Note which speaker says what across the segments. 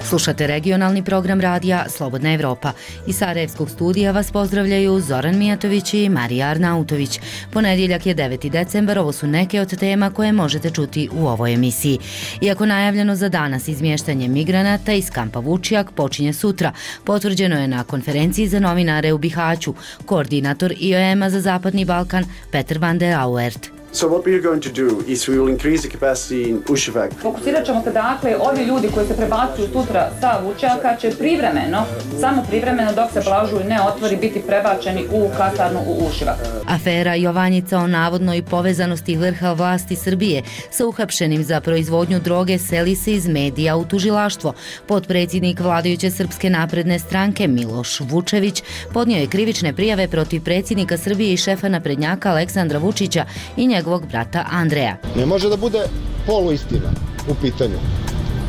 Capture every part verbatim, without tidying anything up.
Speaker 1: Slušate regionalni program radija Slobodna Evropa. Iz Sarajevskog studija vas pozdravljaju Zoran Mijatović i Marija Arnautović. Ponedjeljak je deveti decembar, ovo su neke od tema koje možete čuti u ovoj emisiji. Iako najavljeno za danas izmještanje migranata iz kampa Vučjak počinje sutra, potvrđeno je na konferenciji za novinare u Bihaću koordinator I O M-a za Zapadni Balkan Peter van der Auwert.
Speaker 2: So what we are going to do is we will increase the capacity in Uševak.
Speaker 3: Fokusirat ćemo se dakle, ovi ljudi koji se prebacuju sutra sa Vučjaka će privremeno, samo privremeno dok se Blažuj ne otvori, biti prebačeni u kasarnu u Uševak.
Speaker 1: Afera Jovanjica o navodnoj povezanosti vrha vlasti Srbije sa uhapšenim za proizvodnju droge seli se iz medija u tužilaštvo. Potpredsjednik vladajuće Srpske napredne stranke Miloš Vučević podnio je krivične prijave protiv predsjednika Srbije i šefa naprednjaka Aleksandra Vučića i njegovog brata Andreja.
Speaker 4: Ne može da bude poluistina u pitanju.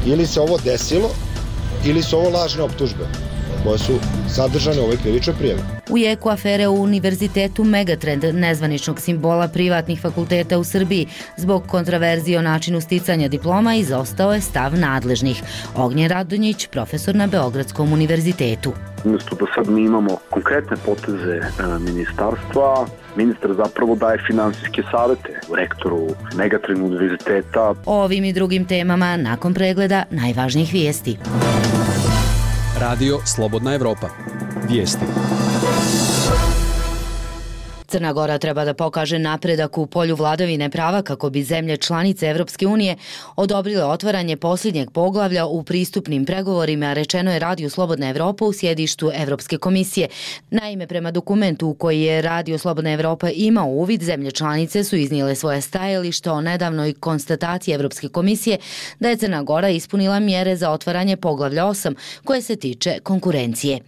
Speaker 4: Ili se ovo desilo, ili su ovo lažne optužbe koje su sadržane u ovoj krivičnoj prijavi.
Speaker 1: U jeku afere u Univerzitetu Megatrend, nezvaničnog simbola privatnih fakulteta u Srbiji, zbog kontraverzije o načinu sticanja diploma izostao je stav nadležnih. Ognjen Radonjić, profesor na Beogradskom univerzitetu.
Speaker 5: Umjesto da sad mi imamo konkretne poteze e, ministarstva, ministar zapravo daje finansijske savete rektoru Megatrend univerziteta.
Speaker 1: O ovim i drugim temama nakon pregleda najvažnijih vijesti.
Speaker 6: Radio Slobodna Evropa. Vijesti.
Speaker 1: Crna Gora treba da pokaže napredak u polju vladavine prava kako bi zemlje članice Evropske unije odobrile otvaranje posljednjeg poglavlja u pristupnim pregovorima, rečeno je Radio Slobodna Evropa u sjedištu Evropske komisije. Naime, prema dokumentu u koji je Radio Slobodna Evropa imao uvid, zemlje članice su iznijele svoje stajalište o nedavnoj konstataciji Evropske komisije da je Crna Gora ispunila mjere za otvaranje poglavlja osam koje se tiče konkurencije.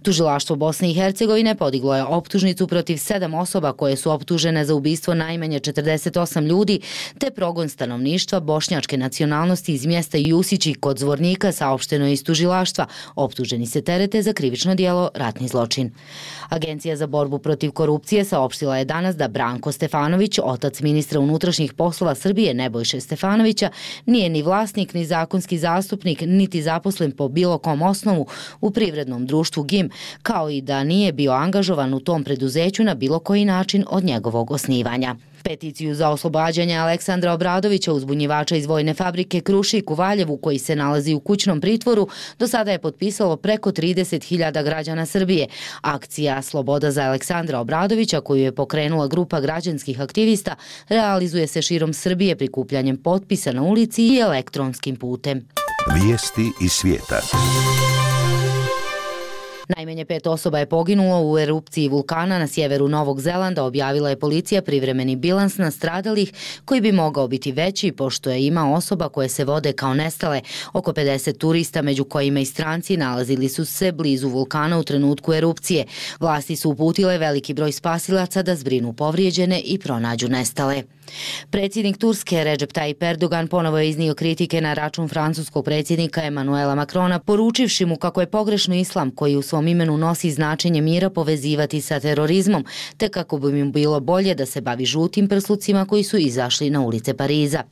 Speaker 1: Tužilaštvo Bosne i Hercegovine podiglo je optužnicu protiv sedam osoba koje su optužene za ubistvo najmanje četrdeset osam ljudi te progon stanovništva bošnjačke nacionalnosti iz mjesta Jusići kod Zvornika, saopšteno je iz tužilaštva. Optuženi se terete za krivično djelo ratni zločin. Agencija za borbu protiv korupcije saopštila je danas da Branko Stefanović, otac ministra unutrašnjih poslova Srbije Nebojše Stefanovića, nije ni vlasnik, ni zakonski zastupnik, niti zaposlen po bilo kom osnovu u privrednom društvu G I M, kao i da nije bio angažovan u tom preduzeću na bilo koji način od njegovog osnivanja. Peticiju za oslobađanje Aleksandra Obradovića, uzbunjivača iz vojne fabrike Krušik u Valjevu, koji se nalazi u kućnom pritvoru, do sada je potpisalo preko trideset hiljada građana Srbije. Akcija Sloboda za Aleksandra Obradovića, koju je pokrenula grupa građanskih aktivista, realizuje se širom Srbije prikupljanjem potpisa na ulici i elektronskim putem.
Speaker 7: Vijesti iz svijeta.
Speaker 1: Najmanje pet osoba je poginulo u erupciji vulkana na sjeveru Novog Zelanda, objavila je policija privremeni bilans nastradalih koji bi mogao biti veći pošto je ima osoba koje se vode kao nestale. Oko pedeset turista, među kojima i stranci, nalazili su se blizu vulkana u trenutku erupcije. Vlasti su uputile veliki broj spasilaca da zbrinu povrijeđene i pronađu nestale. Predsjednik Turske Recep Tayyip Erdogan ponovo je iznio kritike na račun francuskog predsjednika Emanuela Macrona, poručivši mu kako je pogrešno islam, koji u svom imenu nosi značenje mira, povezivati sa terorizmom, te kako bi mu bilo bolje da se bavi žutim prslucima koji su izašli na ulice Pariza.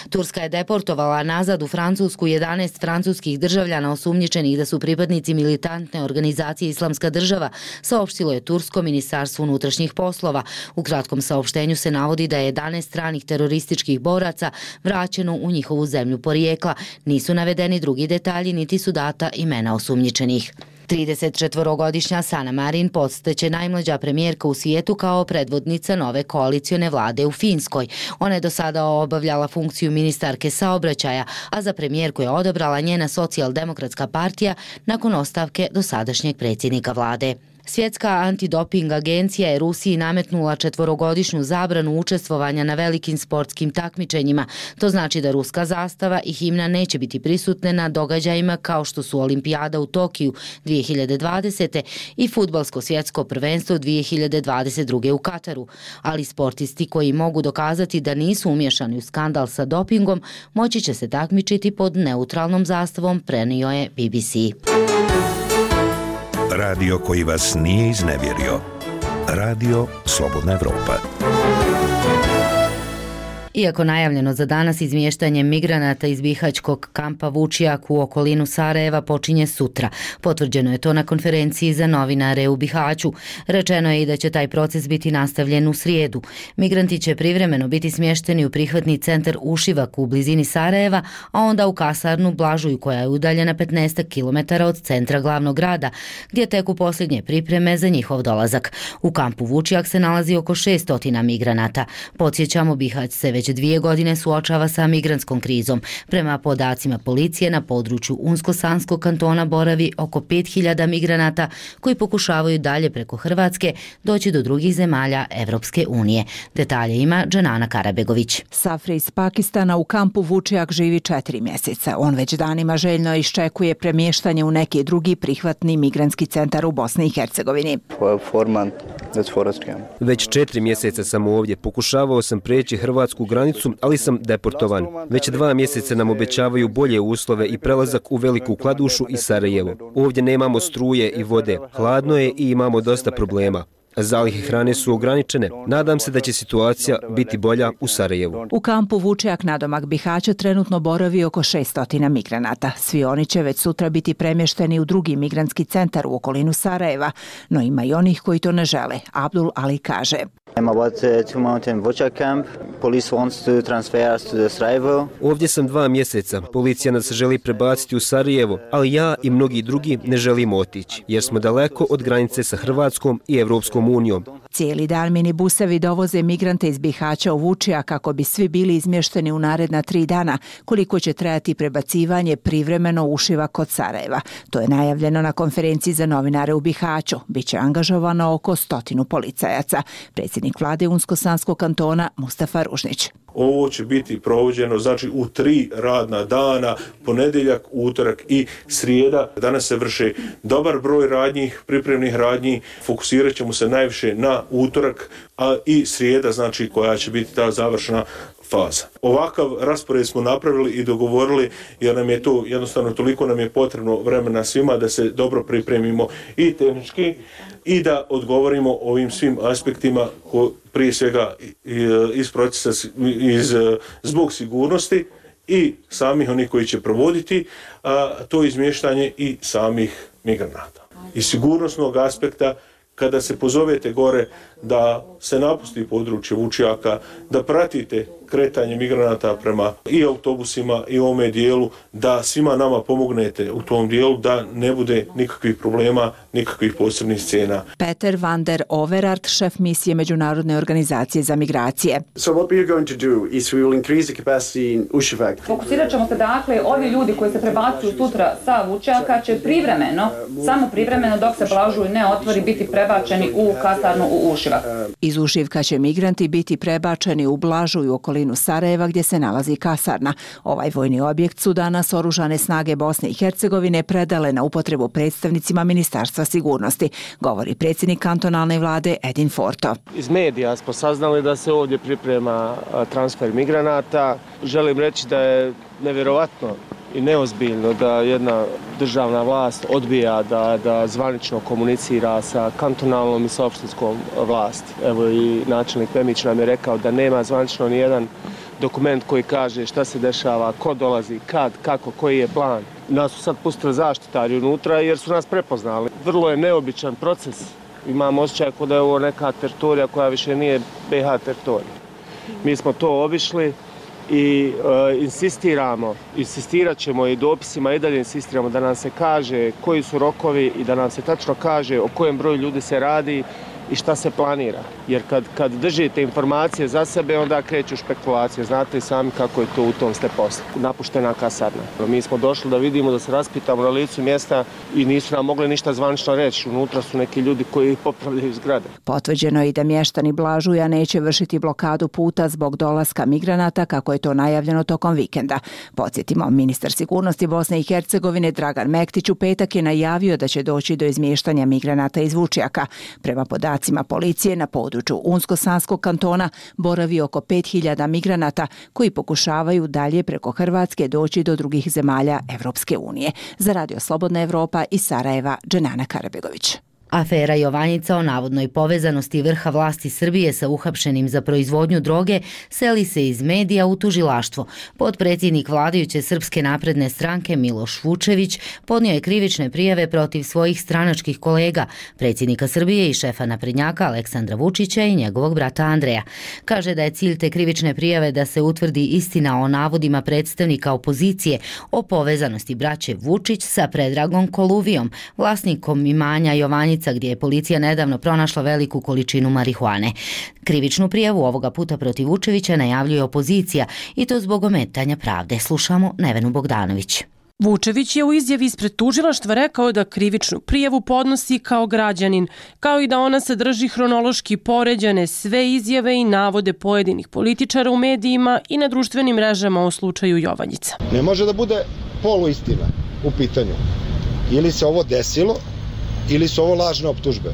Speaker 1: Turska je deportovala nazad u Francusku jedanaest francuskih državljana osumnjičenih da su pripadnici militantne organizacije Islamska država, saopštilo je Tursko ministarstvo unutrašnjih poslova. U kratkom saopštenju se navodi da je jedanaest stranih terorističkih boraca vraćeno u njihovu zemlju porijekla. Nisu navedeni drugi detalji niti su data imena osumnjičenih. tridesetčetvorogodišnja Sanna Marin postaće najmlađa premijerka u svijetu kao predvodnica nove koalicione vlade u Finskoj. Ona je do sada obavljala funkciju ministarke saobraćaja, a za premijerku je odabrala njena socijaldemokratska partija nakon ostavke dosadašnjeg predsjednika vlade. Svjetska antidoping agencija je Rusiji nametnula četvorogodišnju zabranu učestvovanja na velikim sportskim takmičenjima. To znači da ruska zastava i himna neće biti prisutne na događajima kao što su Olimpijada u Tokiju dvije hiljade dvadesete i fudbalsko svjetsko prvenstvo dvije hiljade dvadeset druge u Kataru. Ali sportisti koji mogu dokazati da nisu umješani u skandal sa dopingom moći će se takmičiti pod neutralnom zastavom, prenio je B B C.
Speaker 7: Radio koji vas nije iznevjerio. Radio Slobodna Evropa.
Speaker 1: Iako najavljeno za danas, izmještanje migranata iz bihaćkog kampa Vučjak u okolinu Sarajeva počinje sutra. Potvrđeno je to na konferenciji za novinare u Bihaću. Rečeno je i da će taj proces biti nastavljen u srijedu. Migranti će privremeno biti smješteni u prihvatni centar Ušivak u blizini Sarajeva, a onda u kasarnu Blažuj koja je udaljena petnaest kilometara od centra glavnog grada, gdje teku posljednje pripreme za njihov dolazak. U kampu Vučjak se nalazi oko šesto migranata. Podsjećamo, Bihać se već dvije godine suočava sa migrantskom krizom. Prema podacima policije, na području Unsko-Sanskog kantona boravi oko pet hiljada migranata koji pokušavaju dalje preko Hrvatske doći do drugih zemalja Evropske unije. Detalje ima Dženana Karabegović.
Speaker 8: Safri iz Pakistana u kampu Vučjak živi četiri mjeseca. On već danima željno iščekuje premještanje u neki drugi prihvatni migrantski centar u Bosni i Hercegovini.
Speaker 9: Već četiri mjeseca sam ovdje. Pokušavao sam preći hrvatsku granicu, ali sam deportovan. Već dva mjeseca nam obećavaju bolje uslove i prelazak u Veliku Kladušu i Sarajevo. Ovdje nemamo struje i vode. Hladno je i imamo dosta problema. Zalihe hrane su ograničene. Nadam se da će situacija biti bolja u Sarajevu.
Speaker 8: U kampu Vučjak nadomak Bihaća trenutno boravi oko šesto migranata. Svi oni će već sutra biti premješteni u drugi migrantski centar u okolinu Sarajeva, no ima i onih koji to ne žele. Abdul Ali kaže:
Speaker 9: Ovdje sam dva mjeseca. Policija nas želi prebaciti u Sarajevo, ali ja i mnogi drugi ne želimo otići, jer smo daleko od granice sa Hrvatskom i Evropskom unijom.
Speaker 8: Cijeli dan minibusevi dovoze migrante iz Bihaća u Vučjak kako bi svi bili izmješteni u naredna tri dana, koliko će trajati prebacivanje privremeno Ušiva kod Sarajeva. To je najavljeno na konferenciji za novinare u Bihaću. Biće angažovano oko stotinu policajaca. Predsjednik vlade Unsko-Sanskog kantona Mustafa Ružnić.
Speaker 10: Ovo će biti provođeno znači u tri radna dana, ponedjeljak, utorak i srijeda. Danas se vrše dobar broj radnji, pripremnih radnji. Fokusirat ćemo se najviše na utorak, a i srijeda, znači koja će biti ta završna faza. Ovakav raspored smo napravili i dogovorili jer nam je to jednostavno toliko nam je potrebno vremena svima da se dobro pripremimo i tehnički i da odgovorimo ovim svim aspektima ko, prije svega iz procesa iz, zbog sigurnosti i samih onih koji će provoditi a, to izmještanje i samih migranata. Iz sigurnosnog aspekta, kada se pozovete gore da se napusti područje Vučjaka, da pratite kretanje migranata prema i autobusima i ovome dijelu, da svima nama pomognete u tom dijelu, da ne bude nikakvih problema, nikakvih posebnih scena.
Speaker 8: Peter van der Overart, šef misije Međunarodne organizacije za migracije.
Speaker 2: So what we are going to do is we will increase the capacity in Ušivak.
Speaker 3: Fokusirat ćemo se dakle, ovi ljudi koji se prebacuju sutra sa Vučjaka će privremeno, samo privremeno dok se Blažuj ne otvori, biti prebačeni u kasarnu u Ušivak.
Speaker 8: Iz Ušivka će migranti biti prebačeni u Blažuj u okolinu Sarajeva gdje se nalazi kasarna. Ovaj vojni objekt su danas oružane snage Bosne i Hercegovine predale na upotrebu predstavnicima Ministarstva sigurnosti, govori predsjednik kantonalne vlade Edin Forto.
Speaker 11: Iz medija smo saznali da se ovdje priprema transfer migranata. Želim reći da je nevjerovatno i neozbiljno da jedna državna vlast odbija da, da zvanično komunicira sa kantonalnom i sa opštinskom vlasti. Evo i načelnik Pemić nam je rekao da nema zvanično ni jedan dokument koji kaže šta se dešava, ko dolazi, kad, kako, koji je plan. Nas su sad pustili zaštitari unutra jer su nas prepoznali. Vrlo je neobičan proces. Imamo osjećaj da je ovo neka teritorija koja više nije B H teritorija. Mi smo to obišli i e, insistiramo, insistirat ćemo i dopisima i dalje insistiramo da nam se kaže koji su rokovi i da nam se tačno kaže o kojem broju ljudi se radi i šta se planira. Jer kad, kad držite informacije za sebe, onda kreću špekulacije. Znate i sami kako je to u tom ste poslu. Napuštena kasarna. Mi smo došli da vidimo, da se raspitamo na licu mjesta i nisu nam mogli ništa zvanično reći. Unutra su neki ljudi koji popravljaju zgrade.
Speaker 8: Potvrđeno je i da mještani Blažuja neće vršiti blokadu puta zbog dolaska migranata, kako je to najavljeno tokom vikenda. Podsjetimo, ministar sigurnosti Bosne i Hercegovine Dragan Mektić u petak je najavio da će doći do izmještanja migranata iz Vučjaka. Prema podacima policije na području Unsko-Sanskog kantona boravi oko pet hiljada migranata koji pokušavaju dalje preko Hrvatske doći do drugih zemalja Evropske unije. Za Radio Slobodna Evropa iz Sarajeva, Dženana Karabegović.
Speaker 1: Afera Jovanjica o navodnoj povezanosti vrha vlasti Srbije sa uhapšenim za proizvodnju droge seli se iz medija u tužilaštvo. Potpredsjednik vladajuće Srpske napredne stranke Miloš Vučević podnio je krivične prijave protiv svojih stranačkih kolega, predsjednika Srbije i šefa naprednjaka Aleksandra Vučića i njegovog brata Andreja. Kaže da je cilj te krivične prijave da se utvrdi istina o navodima predstavnika opozicije o povezanosti braće Vučić sa Predragom Koluvijom, vlasnikom imanja Jovanjica, gdje je policija nedavno pronašla veliku količinu marihuane. Krivičnu prijavu ovoga puta protiv Vučevića najavljuje opozicija i to zbog ometanja pravde. Slušamo Nevenu Bogdanović.
Speaker 12: Vučević je u izjavi ispred tužilaštva rekao da krivičnu prijavu podnosi kao građanin, kao i da ona sadrži hronološki poređane sve izjave i navode pojedinih političara u medijima i na društvenim mrežama o slučaju Jovanjica.
Speaker 4: Ne može da bude poluistina u pitanju. Ili se ovo desilo, ili su ovo lažne optužbe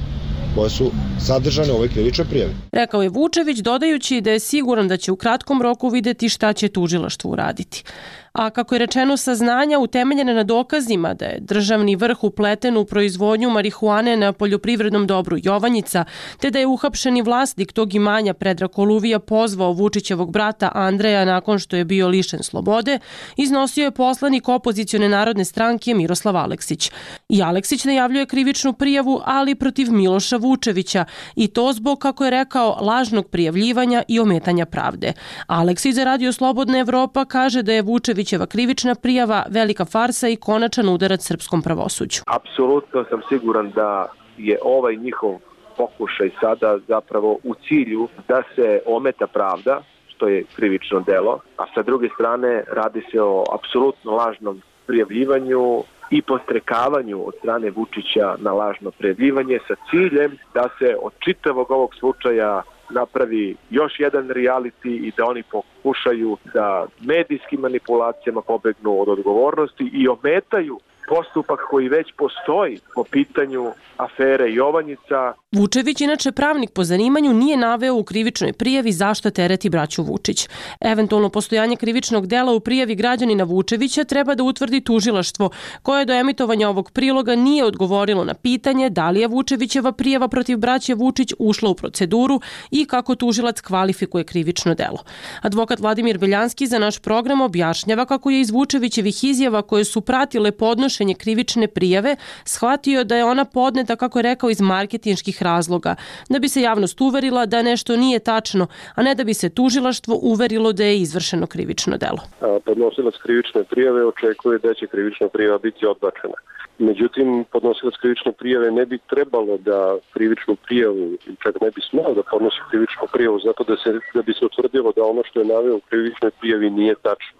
Speaker 4: koje su sadržane u ovoj krivičnoj prijavi.
Speaker 12: Rekao je Vučević, dodajući da je siguran da će u kratkom roku videti šta će tužilaštvo uraditi. A kako je rečeno, saznanja utemeljene na dokazima da je državni vrh upleten u proizvodnju marihuane na poljoprivrednom dobru Jovanjica, te da je uhapšeni vlasnik tog imanja Predrag Koluvija pozvao Vučićevog brata Andreja nakon što je bio lišen slobode, iznosio je poslanik opozicione narodne stranke Miroslav Aleksić. I Aleksić najavljuje krivičnu prijavu, ali protiv Miloša Vučevića, i to zbog, kako je rekao, lažnog prijavljivanja i ometanja pravde. Aleksić za Radio Slobodna Evropa kaže da je Vučević krivična prijava velika farsa i konačan udarac srpskom pravosuđu.
Speaker 13: Apsolutno sam siguran da je ovaj njihov pokušaj sada zapravo u cilju da se ometa pravda, što je krivično delo, a sa druge strane radi se o apsolutno lažnom prijavljivanju i podstrekavanju od strane Vučića na lažno prijavljivanje sa ciljem da se od čitavog ovog slučaja napravi još jedan reality i da oni pokušaju da medijskim manipulacijama pobegnu od odgovornosti i ometaju postupak koji već postoji po pitanju afere Jovanjica.
Speaker 12: Vučević, inače pravnik po zanimanju, nije naveo u krivičnoj prijavi zašto tereti braću Vučić. Eventualno postojanje krivičnog dela u prijavi građanina Vučevića treba da utvrdi tužilaštvo, koje do emitovanja ovog priloga nije odgovorilo na pitanje da li je Vučevićeva prijava protiv braće Vučić ušla u proceduru i kako tužilac kvalifikuje krivično delo. Advokat Vladimir Beljanski za naš program objašnjava kako je iz Vučevićevih izjava koje su pratile podnošenje krivične prijave shvatio da je ona podneta, kako je rekao, iz marketinških razloga, da bi se javnost uverila da nešto nije tačno, a ne da bi se tužilaštvo uverilo da je izvršeno krivično delo.
Speaker 14: Podnosilac krivične prijave očekuje da će krivična prijava biti odbačena. Međutim, podnosilac krivične prijave ne bi trebalo da krivičnu prijavu, čak ne bi smelo da podnosi krivičnu prijavu, zato da, se, da bi se utvrdilo da ono što je naveo u krivičnoj prijavi nije tačno.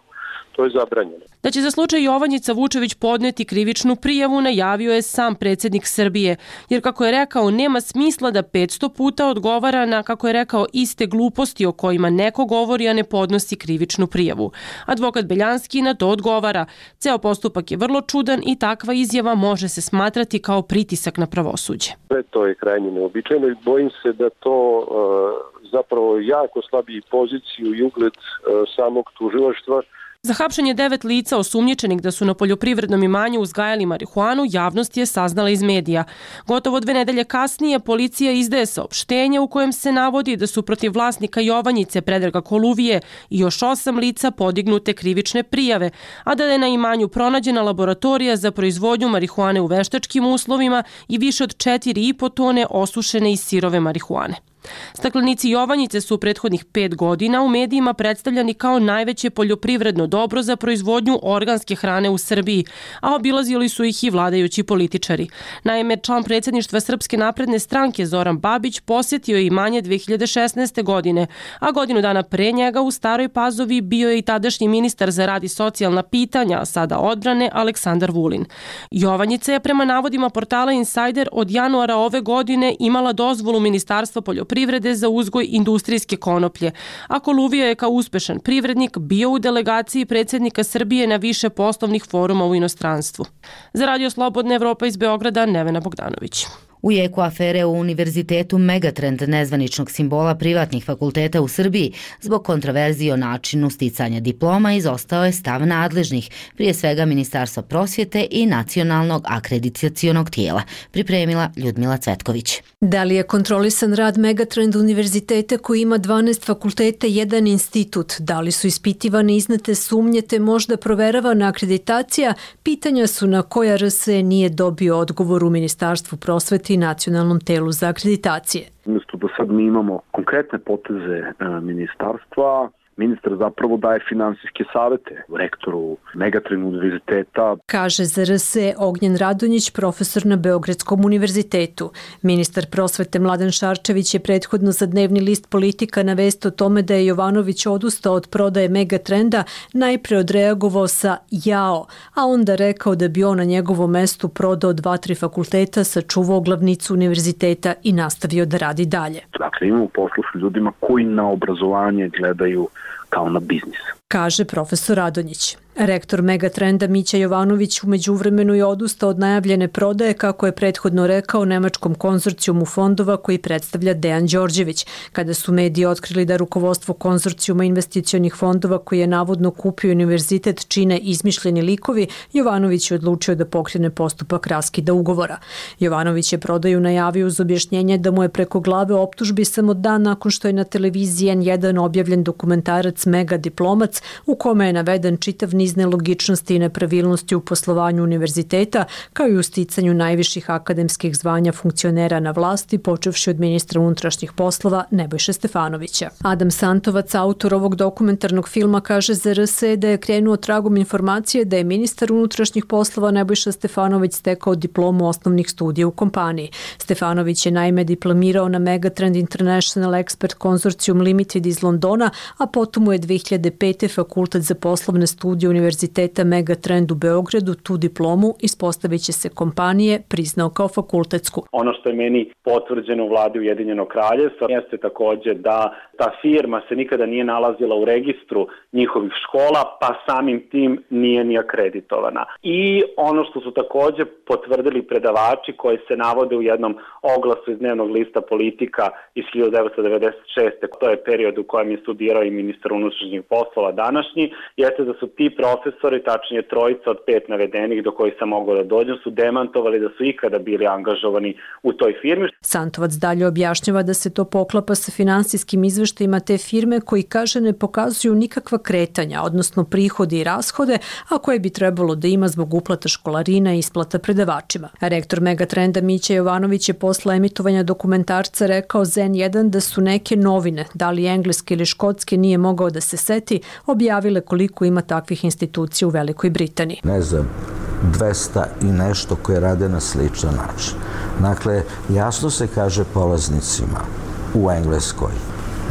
Speaker 14: To je zabranjeno.
Speaker 12: Da će za slučaj Jovanjica Vučević podneti krivičnu prijavu najavio je sam predsjednik Srbije, jer, kako je rekao, nema smisla da petsto puta odgovara na, kako je rekao, iste gluposti o kojima neko govori, a ne podnosi krivičnu prijavu. Advokat Beljanski na to odgovara. Ceo postupak je vrlo čudan i takva izjava može se smatrati kao pritisak na pravosuđe.
Speaker 14: To je krajnje neobičajno i bojim se da to uh, zapravo jako slabi poziciju i ugled uh, samog tužilaštva.
Speaker 12: Za hapšenje devet lica osumnjičenih da su na poljoprivrednom imanju uzgajali marihuanu javnost je saznala iz medija. Gotovo dve nedelje kasnije policija izdaje saopštenje u kojem se navodi da su protiv vlasnika Jovanjice Predraga Koluvije i još osam lica podignute krivične prijave, a da je na imanju pronađena laboratorija za proizvodnju marihuane u veštačkim uslovima i više od četiri i po tone osušene i sirove marihuane. Staklenici Jovanjice su u prethodnih pet godina u medijima predstavljani kao najveće poljoprivredno dobro za proizvodnju organske hrane u Srbiji, a obilazili su ih i vladajući političari. Naime, član predsjedništva Srpske napredne stranke Zoran Babić posjetio je imanje dve hiljade šesnaeste. godine, a godinu dana pre njega u Staroj Pazovi bio je i tadašnji ministar za rad i socijalna pitanja, a sada odbrane, Aleksandar Vulin. Jovanjica je prema navodima portala Insider od januara ove godine imala dozvolu Ministarstva poljoprivrede privrede za uzgoj industrijske konoplje, a Koluvija je kao uspešan privrednik bio u delegaciji predsjednika Srbije na više poslovnih foruma u inostranstvu. Za Radio Slobodna Evropa iz Beograda, Nevena Bogdanović.
Speaker 1: U jeku afere u Univerzitetu Megatrend, nezvaničnog simbola privatnih fakulteta u Srbiji, zbog kontroverzije o načinu sticanja diploma izostao je stav nadležnih, prije svega Ministarstva prosvjete i Nacionalnog akreditacionog tijela, pripremila Ljudmila Cvetković.
Speaker 15: Da li je kontrolisan rad Megatrend univerziteta koji ima dvanaest fakulteta i jedan institut? Da li su ispitivane iznete sumnje te možda proveravana akreditacija? Pitanja su na koja R S E nije dobio odgovor u Ministarstvu prosvete i Nacionalnom telu za akreditacije.
Speaker 5: Umjesto da sad mi imamo konkretne poteze e, ministarstva, ministar zapravo daje finansijske savete rektoru Megatrend univerziteta.
Speaker 15: Kaže za R S E Ognjen Radonjić, profesor na Beogradskom univerzitetu. Ministar prosvete Mladen Šarčević je prethodno za dnevni list Politika na vest o tome da je Jovanović odustao od prodaje Megatrenda najpre odreagovao sa jao, a onda rekao da bi on na njegovom mestu prodao dva, tri fakulteta, sačuvao glavnicu univerziteta i nastavio da radi dalje.
Speaker 5: Dakle, imamo posla s ljudima koji na obrazovanje gledaju kao na biznis.
Speaker 15: Kaže profesor Radonjić. Rektor Megatrenda Mića Jovanović u međuvremenu je odustao od najavljene prodaje, kako je prethodno rekao, nemačkom konzorcijumu fondova koji predstavlja Dejan Đorđević. Kada su mediji otkrili da rukovodstvo konzorcijuma investicionih fondova koji je navodno kupio univerzitet čine izmišljeni likovi, Jovanović je odlučio da pokrene postupak raskida ugovora. Jovanović je prodaju najavio uz objašnjenje da mu je preko glave optužbi samo dan nakon što je na televiziji N jedan objavljen dokumentarac Mega diplomac u kome je naveden čitav niz nelogičnosti i nepravilnosti u poslovanju univerziteta, kao i u sticanju najviših akademskih zvanja funkcionera na vlasti, počevši od ministra unutrašnjih poslova Nebojše Stefanovića. Adam Santovac, autor ovog dokumentarnog filma, kaže za R S E da je krenuo tragom informacije da je ministar unutrašnjih poslova Nebojša Stefanović stekao diplomu osnovnih studija u kompaniji. Stefanović je naime diplomirao na Megatrend International Expert Consortium Limited iz Londona, a potom mu je dve hiljade pete. Fakultet za poslovne studije Univerziteta Megatrend u Beogradu tu diplomu, ispostavit će se kompanije, priznao kao fakultetsku.
Speaker 16: Ono što je meni potvrđeno u vladi Ujedinjenog kraljevstva jeste takođe da ta firma se nikada nije nalazila u registru njihovih škola, pa samim tim nije ni akreditovana. I ono što su takođe potvrdili predavači koji se navode u jednom oglasu iz dnevnog lista Politika iz hiljadu devetsto devedeset šeste. To je period u kojem je studirao i ministar unutrašnjih poslova današnji, jeste da su ti profesori, tačnije trojica od pet navedenih do kojih sam mogao da dođem, su demantovali da su ikada bili angažovani u toj firmi.
Speaker 15: Santovac dalje objašnjava da se to poklapa sa finansijskim izveštajima te firme koji, kaže, ne pokazuju nikakva kretanja, odnosno prihode i rashode, a koje bi trebalo da ima zbog uplata školarina i isplata predavačima. Rektor Megatrenda Mića Jovanović je posle emitovanja dokumentarca rekao za N jedan da su neke novine, da li engleske ili škotske nije mogao da se seti, objavile koliko ima takvih institucija u Velikoj Britaniji.
Speaker 17: Ne znam, dvesta i nešto koje rade na sličan način. Dakle, jasno se kaže polaznicima u Engleskoj,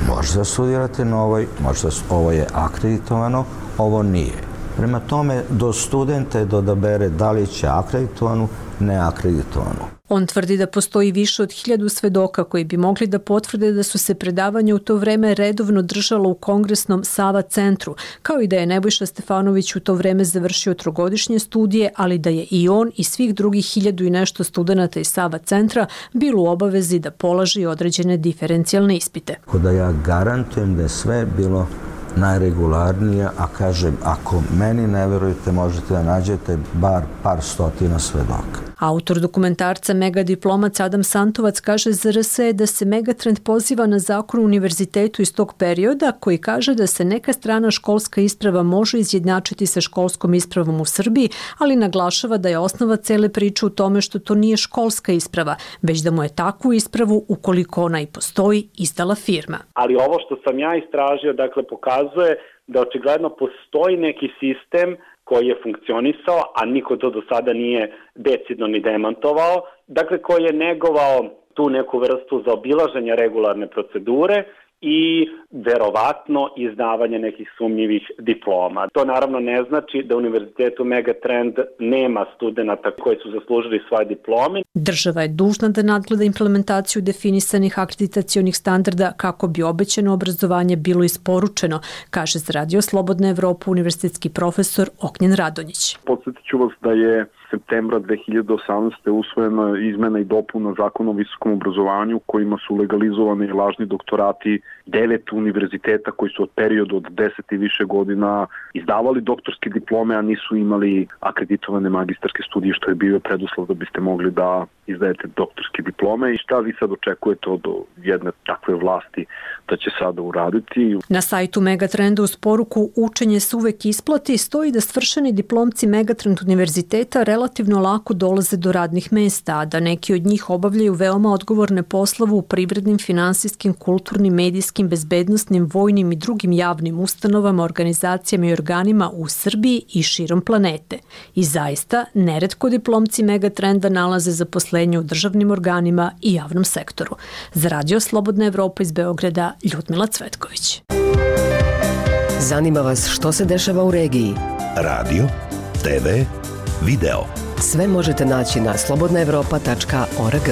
Speaker 17: možda studirate na ovoj, možda ovo je akreditovano, ovo nije. Prema tome, do studenta je da odabere da li će akreditovanu, neakreditovanu.
Speaker 15: On tvrdi da postoji više od hiljadu svedoka koji bi mogli da potvrde da su se predavanja u to vreme redovno držala u kongresnom Sava centru, kao i da je Nebojša Stefanović u to vreme završio trogodišnje studije, ali da je i on i svih drugih hiljadu i nešto studenata iz Sava centra bilo u obavezi da polaži određene diferencijalne ispite.
Speaker 17: Da ja garantujem da je sve bilo najregularnije, a kažem, ako meni ne verujete, možete da nađete bar par stotina svedoka.
Speaker 15: Autor dokumentarca Mega diplomac Adam Santovac kaže za R S E da se Megatrend poziva na zakon o univerzitetu iz tog perioda koji kaže da se neka strana školska isprava može izjednačiti sa školskom ispravom u Srbiji, ali naglašava da je osnova cele priče u tome što to nije školska isprava, već da mu je takvu ispravu, ukoliko ona i postoji, izdala firma.
Speaker 16: Ali ovo što sam ja istražio, dakle, pokazuje da očigledno postoji neki sistem koji je funkcionisao, a niko to do sada nije decidno ni demantovao, dakle koji je negovao tu neku vrstu zaobilaženja regularne procedure i verovatno izdavanje nekih sumnjivih diploma. To naravno ne znači da Univerzitetu Megatrend nema studenata koji su zaslužili svoje diplome.
Speaker 15: Država je dužna da nadgleda implementaciju definisanih akreditacionih standarda kako bi obećano obrazovanje bilo isporučeno, kaže za Radio Slobodna Evropa univerzitetski profesor Ognjen Radonjić.
Speaker 5: Podsjetit ću vas da je septembra dve hiljade osamnaeste. usvojena izmena i dopuna zakona o visokom obrazovanju kojima su legalizovani lažni doktorati devet univerziteta koji su od periodu od deset i više godina izdavali doktorske diplome, a nisu imali akreditovane magistarske studije, što je bio preduslov da biste mogli da izdajete doktorske diplome. I šta vi sad očekujete od jedne takve vlasti da će sada uraditi?
Speaker 15: Na sajtu Megatrenda uz poruku "Učenje se uvek isplati" stoji da svršeni diplomci Megatrend univerziteta relativno lako dolaze do radnih mesta, a da neki od njih obavljaju veoma odgovorne poslove u privrednim, finansijskim, kulturnim, medijskim, bezbednostnim, vojnim i drugim javnim ustanovama, organizacijama i organima u Srbiji i širom planete. I zaista, neretko diplomci Megatrenda nalaze zaposlenje u državnim organima i javnom sektoru. Za Radio Slobodna Evropa iz Beograda, Ljudmila Cvetković.
Speaker 18: Zanima vas što se dešava u regiji?
Speaker 7: Radio, te ve, video.
Speaker 18: Sve možete naći na slobodna evropa tačka org.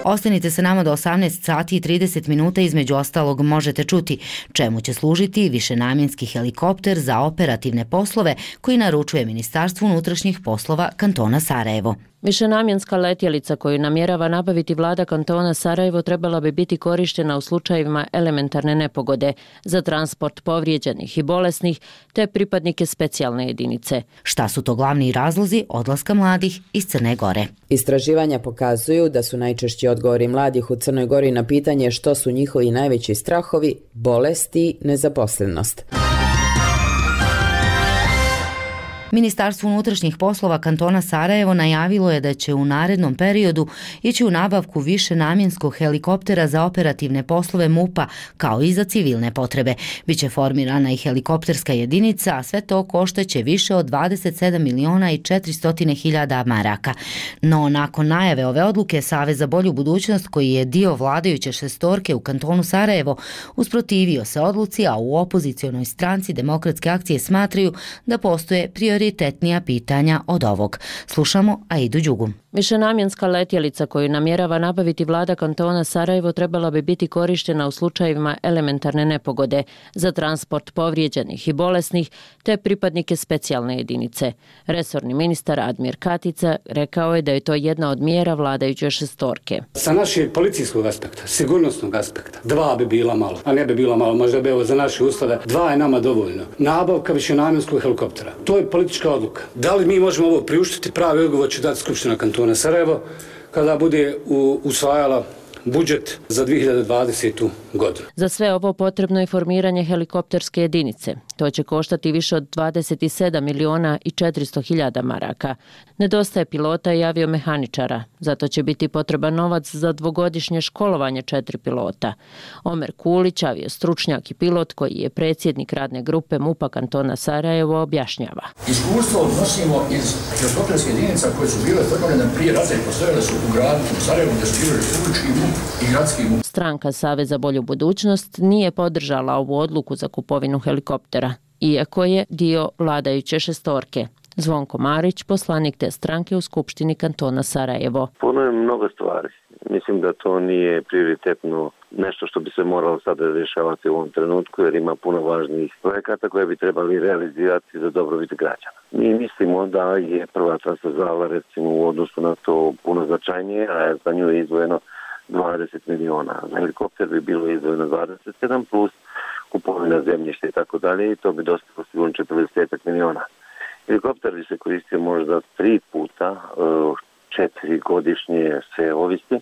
Speaker 1: Ostanite sa nama do osamnaest sati i trideset minuta, između ostalog možete čuti čemu će služiti višenamjenski helikopter za operativne poslove koji naručuje Ministarstvo unutrašnjih poslova kantona Sarajevo.
Speaker 19: Višenamjenska letjelica koju namjerava nabaviti vlada kantona Sarajevo trebala bi biti korištena u slučajevima elementarne nepogode za transport povrijeđenih i bolesnih te pripadnike specijalne jedinice.
Speaker 1: Šta su to glavni razlozi odlaska mladih iz Crne Gore?
Speaker 20: Istraživanja pokazuju da su najčešći odgovori mladih u Crnoj Gori na pitanje što su njihovi najveći strahovi, bolesti i nezaposlenost.
Speaker 1: Ministarstvo unutrašnjih poslova kantona Sarajevo najavilo je da će u narednom periodu ići u nabavku višenamjenskog helikoptera za operativne poslove MUP-a, kao i za civilne potrebe. Biće formirana i helikopterska jedinica, a sve to koštaće više od dvadeset sedam miliona i četiristo hiljada maraka. No, nakon najave ove odluke, Savez za bolju budućnost, koji je dio vladajuće šestorke u kantonu Sarajevo, usprotivio se odluci, a u opozicionoj stranci Demokratske akcije smatraju da postoje prioritetni prioritetnija pitanja od ovog. Slušamo Aidu Đugu.
Speaker 19: Višenamjenska letjelica koju namjerava nabaviti vlada kantona Sarajevo trebala bi biti korištena u slučajevima elementarne nepogode za transport povrijeđenih i bolesnih te pripadnike specijalne jedinice. Resorni ministar Admir Katica rekao je da je to jedna od mjera vladajuće šestorke.
Speaker 21: Sa našeg policijskog aspekta, sigurnosnog aspekta, dva bi bila malo, a ne bi bila malo, možda bi evo za naše uslove, dva je nama dovoljno. Nabavka višenamjenskog helikoptera. To je politička odluka. Da li mi možemo ovo priuštiti? Pravi odgovor će dati Skupština kantona Sarajevo kada bude usvajala budžet za dvije hiljade dvadesetu. godinu.
Speaker 19: Za sve ovo potrebno je formiranje helikopterske jedinice. To će koštati više od dvadeset sedam miliona i četiristo hiljada maraka. Nedostaje pilota i aviomehaničara, zato će biti potreban novac za dvogodišnje školovanje četiri pilota. Omer Kulić, aviostručnjak i pilot koji je predsjednik radne grupe MUP-a kantona Sarajevo, objašnjava.
Speaker 22: Iskustvo odnosimo iz helikopterske jedinica koje su bile formirane prije rata i postojale su u gradu u Sarajevu, gdje su bili republički MUP i gradski MUP.
Speaker 19: Stranka Savez za bolju budućnost nije podržala ovu odluku za kupovinu helikoptera, iako je dio vladajuće šestorke. Zvonko Marić, poslanik te stranke u Skupštini kantona Sarajevo.
Speaker 23: Puno je mnogo stvari. Mislim da to nije prioritetno nešto što bi se moralo sada rješavati u ovom trenutku, jer ima puno važnijih projekata koje bi trebali realizirati za dobrobit građana. Mi mislimo da je prva transverzala recimo u odnosu na to puno značajnije, a za nju je izdvojeno dvadeset miliona. Za helikopter bi bilo izdvojeno dvadeset sedam plus kupovina zemljišta i tako dalje, i to bi dostalo sigurno četrdeset miliona. Helikopter bi se koristio možda tri puta, četiri godišnje, sve ovisi,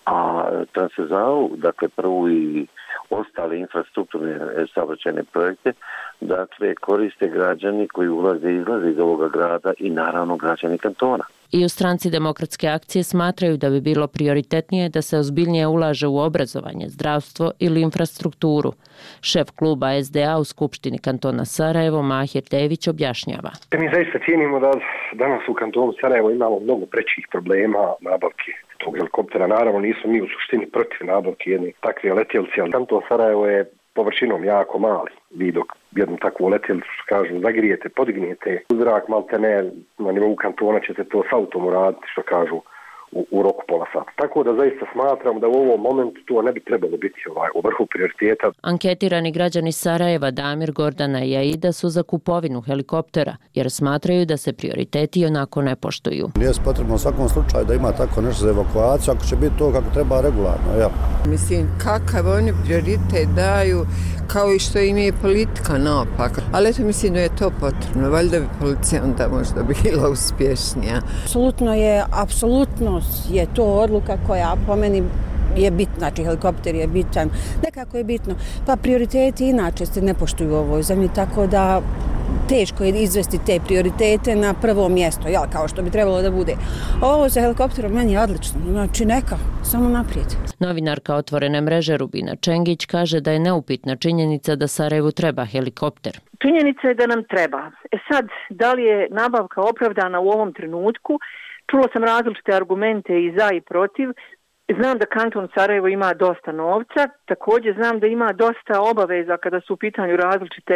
Speaker 23: a transverzalu, dakle prvu i ostale infrastrukturne saobraćajne projekte, dakle koriste građani koji ulaze i izlaze iz ovoga grada i naravno građani kantona.
Speaker 19: I u stranci Demokratske akcije smatraju da bi bilo prioritetnije da se ozbiljnije ulaže u obrazovanje, zdravstvo ili infrastrukturu. Šef kluba es de a u Skupštini kantona Sarajevo, Mahir Dević, objašnjava.
Speaker 24: Mi zaista cijenimo da danas u kantonu Sarajevo imamo mnogo prećih problema nabavke tog helikoptera. Naravno nismo mi u suštini protiv nabavke jedne takve letjelice, ali kanton Sarajevo je površinom jako mali. Vi dok jednu takvu letjelicu, kažu, zagrijete, podignijete u zrak, malte ne, na nivou kantona ćete to s autom uraditi, što kažu u, u roku pola sata. Tako da zaista smatram da u ovom momentu to ne bi trebalo biti ovaj, u vrhu prioriteta.
Speaker 19: Anketirani građani Sarajeva Damir, Gordana i Aida su za kupovinu helikoptera, jer smatraju da se prioriteti onako ne poštuju.
Speaker 2: Nije potrebno u svakom slučaju da ima tako nešto za evakuaciju, ako će biti to kako treba regularno. Ja.
Speaker 6: Mislim, kakav oni prioritet daju, kao i što im je politika naopaka. Ali eto, mislim da je to potrebno. Valjda bi policija onda možda bila uspješnija.
Speaker 9: Apsolutno je, apsolutno je to odluka koja po meni je bitna, znači helikopter je bitan, nekako je bitno. Pa prioriteti inače se ne poštuju u ovoj zemlji, tako da teško je izvesti te prioritete na prvo mjesto, jel, kao što bi trebalo da bude. Ovo za helikopterom meni je odlično, znači neka, samo naprijed.
Speaker 19: Novinarka Otvorene mreže Rubina Čengić kaže da je neupitna činjenica da Sarajevu treba helikopter.
Speaker 10: Činjenica je da nam treba. E sad, da li je nabavka opravdana u ovom trenutku? Čula sam različite argumente i za i protiv. Znam da kanton Sarajevo ima dosta novca, također znam da ima dosta obaveza kada su u pitanju različite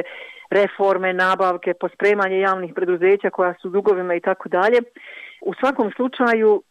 Speaker 10: reforme, nabavke, pospremanje javnih preduzeća koja su u dugovima i tako dalje. U svakom slučaju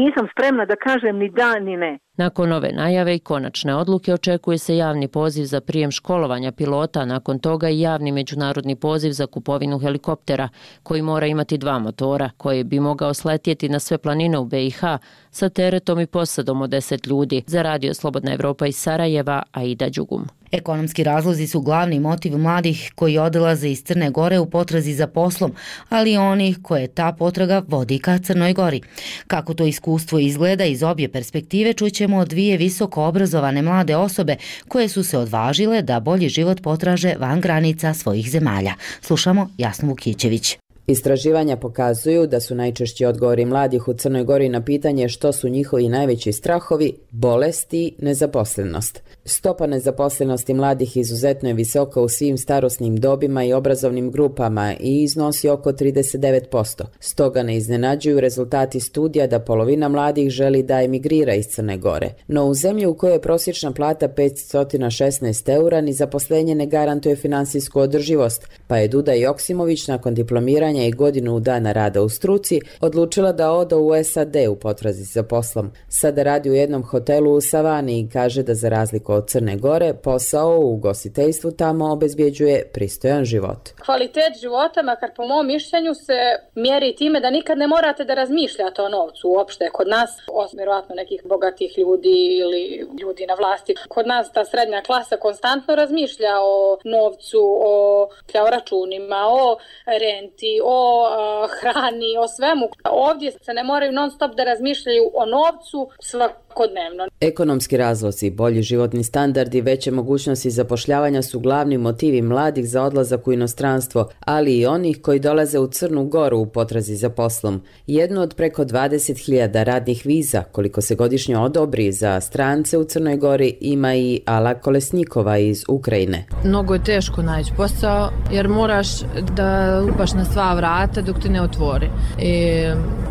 Speaker 10: nisam spremna da kažem ni da ni ne.
Speaker 19: Nakon ove najave i konačne odluke očekuje se javni poziv za prijem školovanja pilota, nakon toga i javni međunarodni poziv za kupovinu helikoptera, koji mora imati dva motora, koji bi mogao sletjeti na sve planine u be i ha sa teretom i posadom od deset ljudi. Za Radio Slobodna Evropa iz Sarajeva, Aida Đugum.
Speaker 1: Ekonomski razlozi su glavni motiv mladih koji odlaze iz Crne Gore u potrazi za poslom, ali i onih koje ta potraga vodi ka Crnoj Gori. Kako to iskustvo izgleda iz obje perspektive čućemo od dvije visoko obrazovane mlade osobe koje su se odvažile da bolji život potraže van granica svojih zemalja. Slušamo Jasnu Vukićević.
Speaker 20: Istraživanja pokazuju da su najčešći odgovori mladih u Crnoj Gori na pitanje što su njihovi najveći strahovi bolest i nezaposlenost. Stopa nezaposlenosti mladih izuzetno je visoka u svim starosnim dobima i obrazovnim grupama i iznosi oko trideset devet posto. Stoga ne iznenađuju rezultati studija da polovina mladih želi da emigrira iz Crne Gore. No u zemlji u kojoj je prosječna plata petsto šesnaest eura ni zaposlenje ne garantuje finansijsku održivost, pa je Duda Joksimović nakon diplomiranja i godinu dana rada u struci odlučila da ode u es a de u potrazi za poslom. Sada radi u jednom hotelu u Savani i kaže da za razliku od Crne Gore posao u ugostiteljstvu tamo obezbjeđuje pristojan život.
Speaker 25: Kvalitet života, makar po mom mišljenju, se mjeri time da nikad ne morate da razmišljate o novcu uopšte. Kod nas, osim vjerovatno nekih bogatih ljudi ili ljudi na vlasti, kod nas ta srednja klasa konstantno razmišlja o novcu, o računima, o renti, o uh, hrani, o svemu. Ovdje se ne moraju non stop da razmišljaju o novcu svakodnevno.
Speaker 20: Ekonomski razlozi, bolji životni standard i veće mogućnosti zapošljavanja su glavni motivi mladih za odlazak u inostranstvo, ali i onih koji dolaze u Crnu Goru u potrazi za poslom. Jedno od preko dvadeset hiljada radnih viza, koliko se godišnje odobri za strance u Crnoj Gori, ima i Ala Kolesnikova iz Ukrajine.
Speaker 26: Mnogo je teško naći posao jer moraš da lupaš na sva vrata dok ti ne otvori. I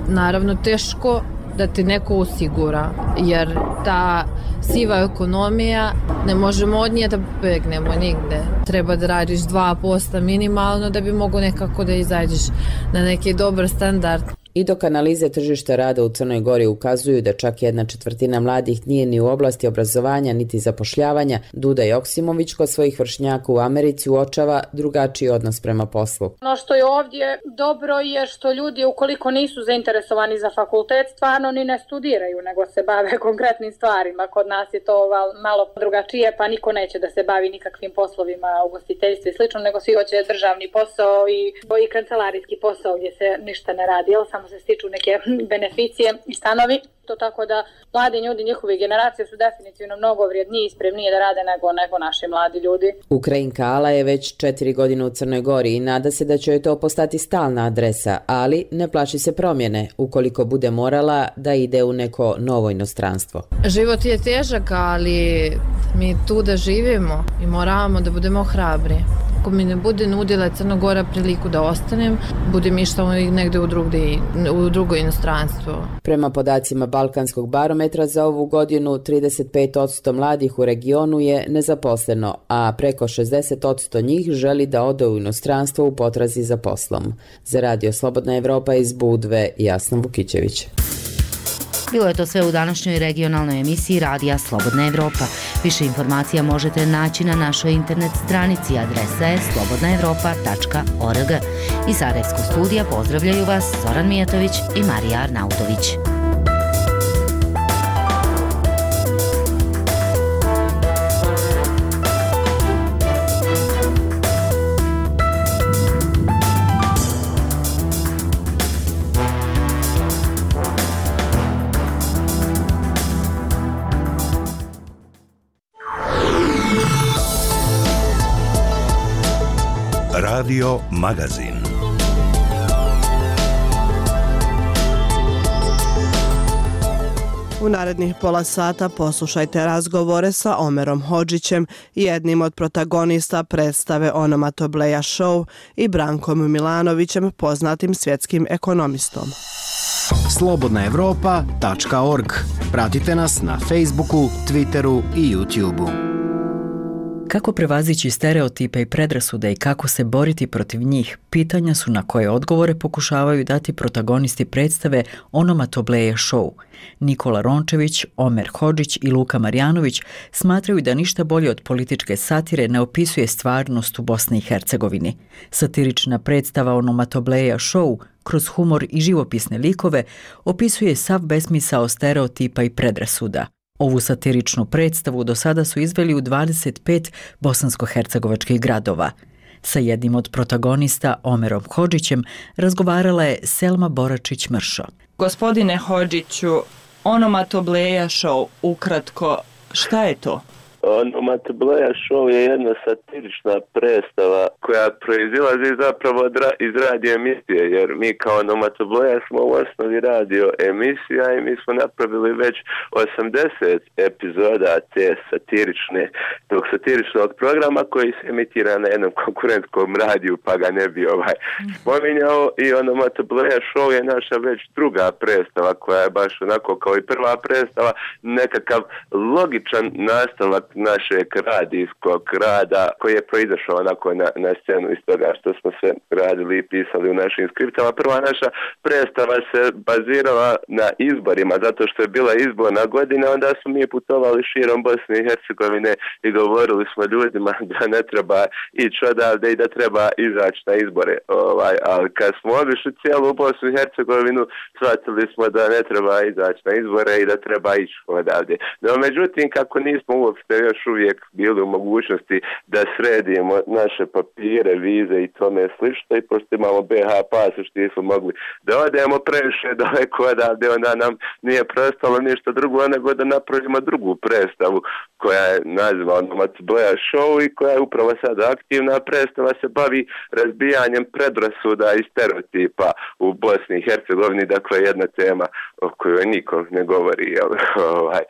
Speaker 26: naravno teško da ti neko osigura, jer ta siva ekonomija ne možemo od nje da begnemo nigde. Treba da radiš dva posto minimalno da bi mogo nekako da izađeš na neki dobar standard.
Speaker 20: I dok analize tržišta rada u Crnoj Gori ukazuju da čak jedna četvrtina mladih nije ni u oblasti obrazovanja niti zapošljavanja, Duda Joksimović kod svojih vršnjaka u Americi uočava drugačiji odnos prema poslu.
Speaker 25: Ono što je ovdje dobro je što ljudi ukoliko nisu zainteresovani za fakultet stvarno ni ne studiraju, nego se bave konkretnim stvarima. Kod nas je to malo drugačije, pa niko neće da se bavi nikakvim poslovima ugostiteljstva i slično, nego svi hoće državni posao i, i kancelarijski posao gdje se ništa ne radi, jel samo se stiču neke beneficije i stanovi. To tako da mladi ljudi, njihove generacije su definitivno mnogo vrijedniji i spremnije da rade nego, nego naši mladi ljudi.
Speaker 20: Ukrajinka Ala je već četiri godine u Crnoj Gori i nada se da će joj to postati stalna adresa, ali ne plaši se promjene ukoliko bude morala da ide u neko novo inostranstvo.
Speaker 26: Život je težak, ali mi tu da živimo i moramo da budemo hrabri. Ako mi ne bude nudila Crna Gora priliku da ostanem, budem išla negde u, drugde, u drugo inostranstvo.
Speaker 20: Prema podacima Balkanskog barometra za ovu godinu trideset pet posto mladih u regionu je nezaposleno, a preko šezdeset posto njih želi da ode u inostranstvo u potrazi za poslom. Za Radio Slobodna Evropa iz Budve, Jasna Vukićević.
Speaker 1: Bilo je to sve u današnjoj regionalnoj emisiji Radija Slobodna Evropa. Više informacija možete naći na našoj internet stranici, adresa je slobodna evropa tačka org. Iz Sarajevskog studija pozdravljaju vas Zoran Mijatović i Marija Arnautović.
Speaker 7: Radio Magazin.
Speaker 3: U narednih pola sata poslušajte razgovore sa Omerom Hodžićem, jednim od protagonista predstave Onomatobleja Show, i Brankom Milanovićem, poznatim svjetskim ekonomistom.
Speaker 4: slobodna evropa tačka org. Pratite nas na Facebooku, Twitteru i YouTubeu.
Speaker 8: Kako prevazići stereotipe i predrasude i kako se boriti protiv njih, pitanja su na koje odgovore pokušavaju dati protagonisti predstave Onomatobleja Show. Nikola Rončević, Omer Hodžić i Luka Marjanović smatraju da ništa bolje od političke satire ne opisuje stvarnost u Bosni i Hercegovini. Satirična predstava Onomatobleja Show kroz humor i živopisne likove opisuje sav besmisao stereotipa i predrasuda. Ovu satiričnu predstavu do sada su izveli u dvadeset pet bosansko-hercegovačkih gradova. Sa jednim od protagonista, Omerom Hodžićem, razgovarala je Selma Boračić-Mršo.
Speaker 11: Gospodine Hodžiću, Onomatobleja Show, ukratko, šta je to?
Speaker 23: Onomatobleja Show je jedna satirična predstava koja proizilazi zapravo iz radio emisije, jer mi kao Onomatobleja smo u osnovi radio emisija i mi smo napravili već osamdeset epizoda te satirične, tog satiričnog programa koji se emitira na jednom konkurentskom radiju, pa ga ne bi ovaj spominjao. I Onomatobleja Show je naša već druga predstava koja je baš onako kao i prva predstava, nekakav logičan nastavak našeg radijskog rada koji je proizašao onako na, na scenu iz toga što smo sve radili i pisali u našim skriptama. Prva naša predstava se bazirala na izborima, zato što je bila izborna godina, onda smo mi putovali širom Bosne i Hercegovine i govorili smo ljudima da ne treba ići odavde i da treba izaći na izbore. Ovaj, ali kad smo obišli cijelu Bosnu i Hercegovinu, shvatili smo da ne treba izaći na izbore i da treba ići odavde. No, međutim, kako nismo uopšte još uvijek bili u mogućnosti da sredimo naše papire, vize i tome slično, i pošto imamo be ha pasoš, nismo mogli da odemo previše daleko odavde, onda nam nije preostalo ništa drugo nego da napravimo drugu predstavu koja je naziva Onomatobleja Show i koja je upravo sada aktivna. Predstava se bavi razbijanjem predrasuda i stereotipa u Bosni i Hercegovini, dakle jedna tema o kojoj nikom ne govori, jel, ovaj,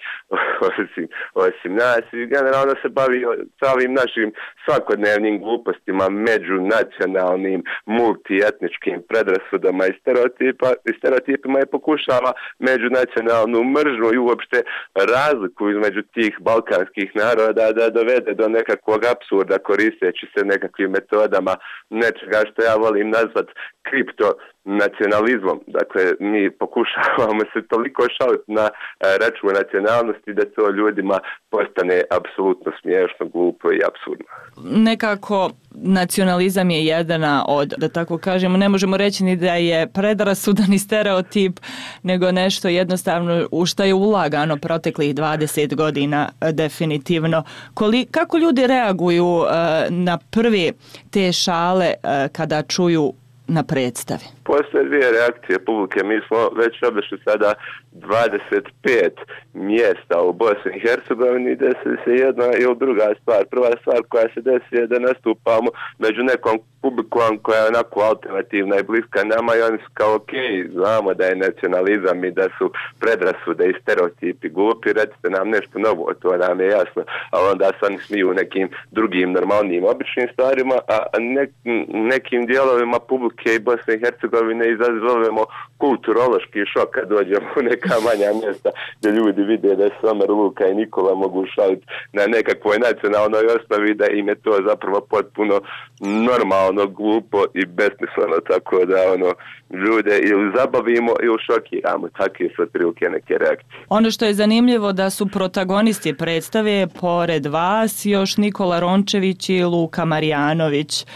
Speaker 23: osim, osim nas, i generalno se bavi sa ovim našim svakodnevnim glupostima, međunacionalnim, multietničkim predrasudama i, stereotipa, i stereotipima i pokušava međunacionalnu mržnju i uopšte razliku između tih balkanskih naroda da dovede do nekakvog apsurda koristeći se nekakvim metodama nečega što ja volim nazvat kripto nacionalizmom. Dakle, mi pokušavamo se toliko šaliti na račun nacionalnosti da to ljudima postane apsolutno smiješno, glupo i apsurdno.
Speaker 11: Nekako nacionalizam je jedna od, da tako kažemo, ne možemo reći ni da je predrasudan i stereotip, nego nešto jednostavno u što je ulagano proteklih dvadeset godina definitivno. Koli, kako ljudi reaguju uh, na prvi te šale uh, kada čuju na predstavi?
Speaker 23: Postoje dvije reakcije publike. Mi smo već obišli sada dvadeset pet mjesta u Bosni i Hercegovini, desi se jedna ili druga stvar. Prva stvar koja se desi je da nastupamo među nekom publikom koja je onako alternativna i bliska nama i oni su kao ok, znamo da je nacionalizam i da su predrasude i stereotipi glupi, recite nam nešto novo, to nam je jasno, ali onda se oni smiju nekim drugim normalnim običnim stvarima, a ne, nekim dijelovima publike i Bosne i Hercegovine izazovemo kulturološki šok kad dođemo u neki
Speaker 5: neka manja mjesta gdje ljudi vide da se Omer, Luka i Nikola mogu šaliti na nekakvoj nacionalnoj osnovi, da im je to zapravo potpuno normalno, glupo i besmisleno, tako da ono, ljude ili zabavimo ili šokiramo, takve su otprilike neke reakcije.
Speaker 11: Ono što je zanimljivo da su protagonisti predstave pored vas još Nikola Rončević i Luka Marjanović. E,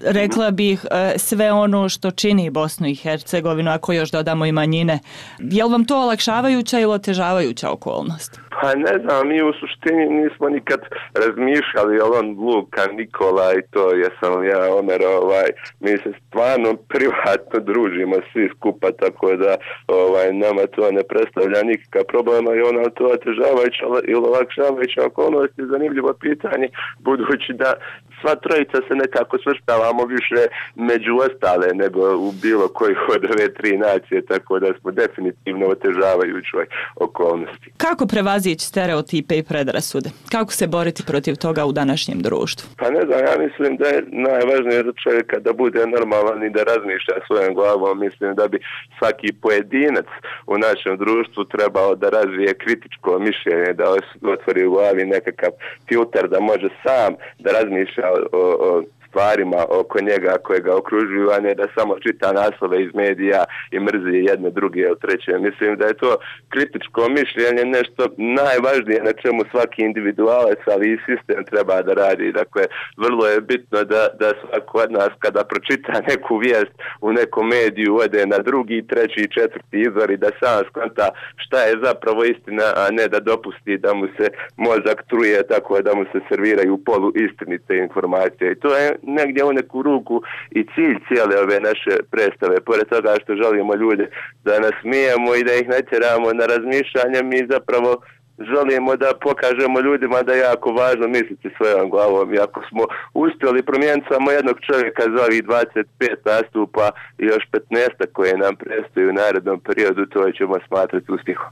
Speaker 11: rekla bih e, sve ono što čini Bosnu i Hercegovinu, ako još dodamo i manjine. Je li vam to olakšavajuća ili otežavajuća okolnost?
Speaker 5: Pa ne znam, mi u suštini nismo nikad razmišljali o on Luka, Nikola i to jesam ja, Omer, ovaj, mi se stvarno privatno družimo svi skupa, tako da ovaj, nama to ne predstavlja nikakav problema i ona to otežavajuća ili olakšavajuća okolnost je zanimljivo pitanje, budući da sva trojica se nekako svrstavamo više među ostale nego u bilo koji od ove tri nacije, tako da smo definitivno otežavajućoj okolnosti.
Speaker 11: Kako prevazići stereotipe i predrasude? Kako se boriti protiv toga u današnjem društvu?
Speaker 5: Pa ne znam, ja mislim da je najvažnije za čovjeka da bude normalan i da razmišlja svojom glavom. Mislim da bi svaki pojedinac u našem društvu trebao da razvije kritičko mišljenje, da otvori u glavi nekakav filter, da može sam da razmišlja o, o stvarima oko njega koje ga okružuju, a ne da samo čita naslove iz medija i mrzi jedne, druge ili treće. Mislim da je to kritičko mišljenje nešto najvažnije na čemu svaki individualac, ali i sistem treba da radi. Dakle, vrlo je bitno da, da svako od nas kada pročita neku vijest u nekom mediju ode na drugi, treći, četvrti izvor i da sam skonta šta je zapravo istina, a ne da dopusti da mu se mozak truje tako da mu se serviraju polu istinite informacije. I to je negdje u neku ruku i cilj cijele ove naše predstave. Pored toga što želimo ljude da nas smijemo i da ih natjeramo na razmišljanje, mi zapravo želimo da pokažemo ljudima da je jako važno misliti svojom glavom. I ako smo uspjeli promijeniti samo jednog čovjeka za ovih dvadeset pet nastupa i još petnaest koje nam predstoji u narednom periodu, to ćemo smatrati uspjehom.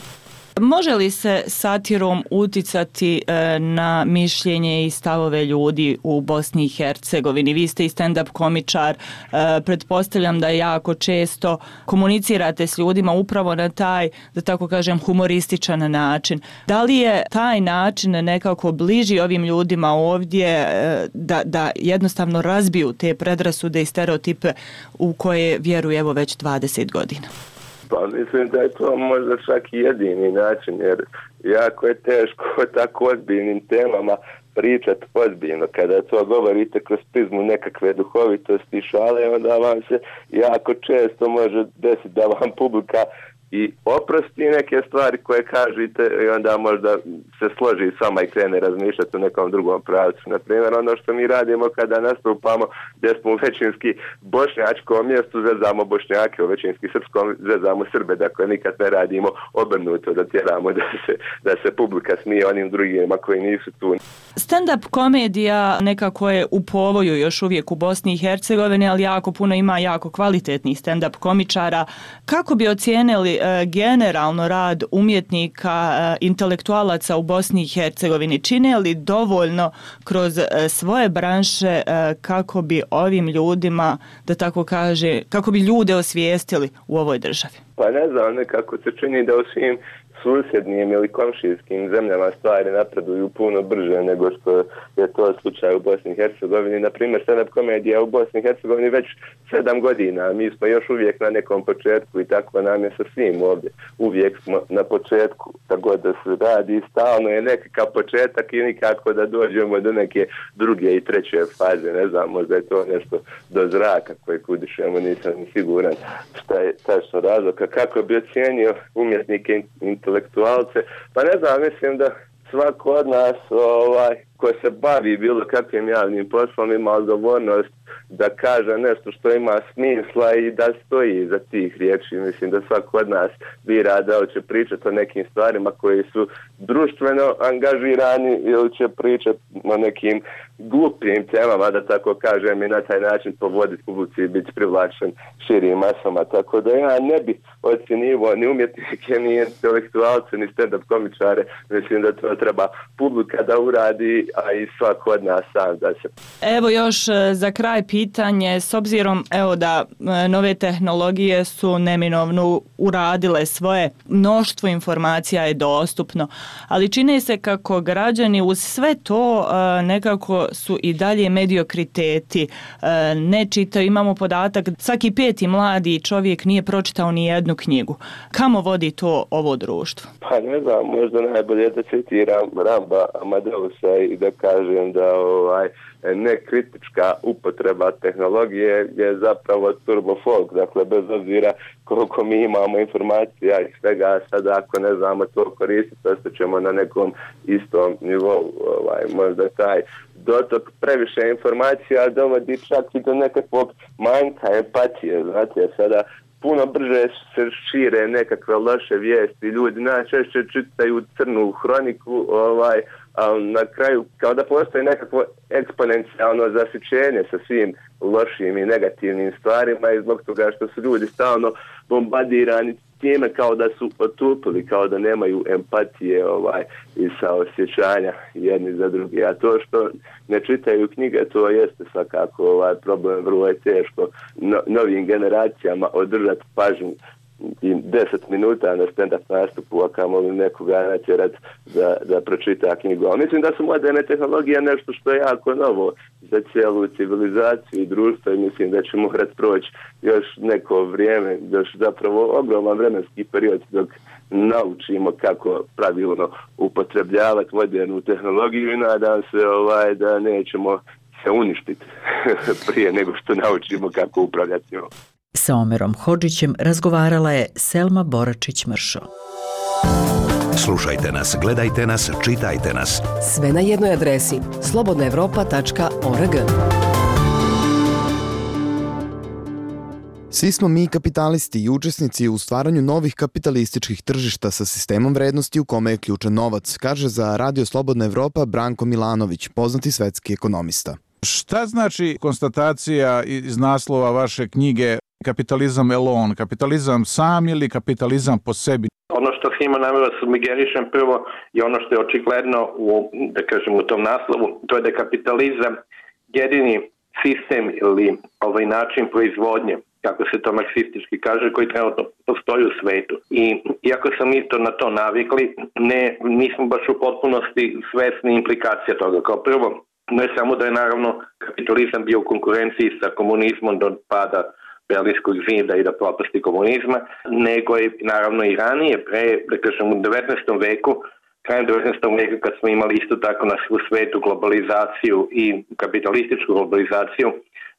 Speaker 11: Može li se satirom uticati e, na mišljenje i stavove ljudi u Bosni i Hercegovini? Vi ste i stand-up komičar, e, pretpostavljam da jako često komunicirate s ljudima upravo na taj, da tako kažem, humorističan način. Da li je taj način nekako bliži ovim ljudima ovdje e, da, da jednostavno razbiju te predrasude i stereotipe u koje vjeruju evo već dvadeset godina?
Speaker 5: Pa mislim da je to možda čak i jedini način, jer jako je teško o tako ozbiljnim temama pričati ozbiljno. Kada to govorite kroz prizmu nekakve duhovitosti i šale, onda vam se jako često može desiti da vam publika i oprosti neke stvari koje kažete i onda možda se složi sama i krene razmišljati u nekom drugom pravcu. Naprimjer, ono što mi radimo kada nastupamo gdje smo u većinski bošnjačkom mjestu, zezamo Bošnjake, u većinski srpskom zezamo Srbe, dakle nikad ne radimo obrnuto da tjeramo da se, da se publika smije onim drugima koji nisu tu.
Speaker 11: Stand-up komedija nekako je u povoju još uvijek u Bosni i Hercegovini, ali jako puno ima jako kvalitetnih stand-up komičara. Kako bi ocijenili e, generalno rad umjetnika, e, intelektualaca u Bosni i Hercegovini? Čine li dovoljno kroz e, svoje branše e, kako bi ovim ljudima, da tako kaže, kako bi ljude osvijestili u ovoj državi?
Speaker 5: Pa ne znam, nekako se čini da u svim susjednim ili komšijskim zemljama stvari napreduju puno brže nego što je to slučaj u Bosni i Hercegovini. Naprimjer, stand-up komedija u Bosni i Hercegovini već sedam godina. Mi smo još uvijek na nekom početku i tako nam je sa svim ovdje. Uvijek smo na početku, tako da se radi stalno je nekakav početak i nikako da dođemo do neke druge i treće faze. Ne znam, možda je to nešto do zraka koje udišemo, nisam siguran šta je tačno razlog. Kako bi ocijenio umjetnike intelektualce, pa ne znam, mislim da svako od nas ovaj, ko se bavi bilo kakvim javnim poslom ima odgovornost da kaže nešto što ima smisla i da stoji za tih riječi. Mislim da svako od nas bira da li će pričati o nekim stvarima koji su društveno angažirani ili će pričati o nekim glupim temama, da tako kažem, i na taj način povoditi publici i biti privlačen širim masama. Tako da ja ne bi ocjenjivo ni umjetnike, ni intelektualce, ni stand-up komičare. Mislim da to treba publika da uradi, a i svako od nas sam da se.
Speaker 11: Evo još za kraj pitanje, s obzirom evo da nove tehnologije su neminovno uradile svoje, mnoštvo informacija je dostupno, ali čini se kako građani uz sve to nekako su i dalje mediokriteti, ne čitaju, imamo podatak, svaki peti mladi čovjek nije pročitao ni jednu knjigu. Kamo vodi to ovo društvo?
Speaker 5: Pa ne znam, možda najbolje da citiram Ramba Amadeusa i da kažem da ovaj, nekritička upotreba tehnologije je zapravo turbo folk, dakle bez obzira koliko mi imamo informacija i svega, sada ako ne znamo to koristiti, ostaćemo na nekom istom nivou, ovaj, možda taj dotok previše informacija dovodi čak i do nekakvog manjka empatije, znate, sada puno brže se šire nekakve loše vijesti, ljudi najčešće čitaju crnu hroniku, ovaj, a na kraju kao da postoji nekakvo eksponencijalno zasićenje sa svim lošim i negativnim stvarima i zbog toga što su ljudi stalno bombardirani time kao da su otupili, kao da nemaju empatije ovaj, i saosjećanja jedni za drugi. A to što ne čitaju knjige, to jeste svakako ovaj, problem, vrlo je teško no, novim generacijama održati pažnju i deset minuta na stand-up nastupu, a kamoli nekoga natjerat da, da pročita knjigu. Ali mislim da su moderne tehnologije nešto što je jako novo za cijelu civilizaciju i društvo i mislim da će morat proći još neko vrijeme, još zapravo ogroman vremenski period dok naučimo kako pravilno upotrebljavati modernu tehnologiju i nadam se ovaj, da nećemo se uništiti prije nego što naučimo kako upravljati njom.
Speaker 8: Sa Omerom Hodžićem razgovarala je Selma Boračić-Mršo.
Speaker 7: Slušajte nas, gledajte nas, čitajte nas.
Speaker 18: Sve na jednoj adresi slobodna evropa tačka org.
Speaker 12: Svi smo mi kapitalisti i učesnici u stvaranju novih kapitalističkih tržišta sa sistemom vrednosti u kome je ključan novac, kaže za Radio Slobodna Evropa Branko Milanović, poznati svetski ekonomista.
Speaker 13: Šta znači konstatacija iz naslova vaše knjige Kapitalizam alone, kapitalizam sam ili kapitalizam po sebi?
Speaker 14: Ono što svima namjera sugerišem prvo je ono što je očigledno u, da kažem, u tom naslovu, to je da je kapitalizam jedini sistem ili ovaj način proizvodnje, kako se to marksistički kaže, koji trenutno postoji u svetu. I iako sam isto na to navikli, ne, nismo baš u potpunosti svesni implikacija toga. Kao prvo, ne samo da je naravno kapitalizam bio u konkurenciji sa komunizmom do pada Berlinskog zida i da propasti komunizma, nego je naravno i ranije, pre, da kažem, u devetnaestom veku, krajem devetnaestog veka kad smo imali isto tako na svu svetu globalizaciju i kapitalističku globalizaciju,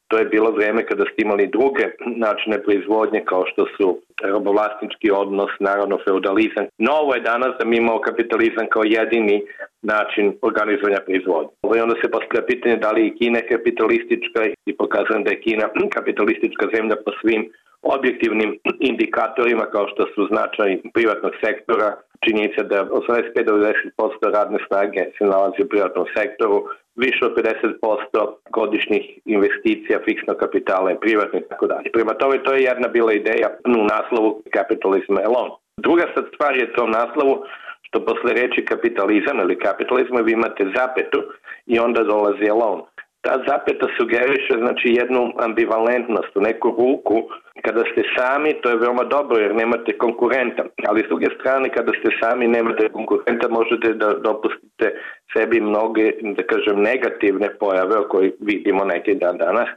Speaker 14: to je bilo vrijeme kada ste imali druge načine proizvodnje kao što su robovlasnički odnos, naravno feudalizam. Novo je danas da mi imamo kapitalizam kao jedini način organizovanja proizvodnje. I onda se postavlja pitanje da li je Kina kapitalistička i pokazujem da je Kina kapitalistička zemlja po svim objektivnim indikatorima kao što su značaj privatnog sektora, činjenica da osamdeset pet do devedeset posto radne snage se nalazi u privatnom sektoru, više od pedeset posto godišnjih investicija fiksnog kapitala je privatno i tako dalje. Prema tome, to je jedna bila ideja u naslovu Capitalism alone. Druga sad stvar je to u naslovu što posle reči kapitalizam ili kapitalizma vi imate zapetu i onda dolazi alone. Ta zapeta sugeriše znači jednu ambivalentnost, u neku ruku. Kada ste sami, to je veoma dobro jer nemate konkurenta, ali s druge strane kada ste sami nemate konkurenta možete da dopustite sebi mnoge, da kažem, negativne pojave o koji vidimo neki dan danas,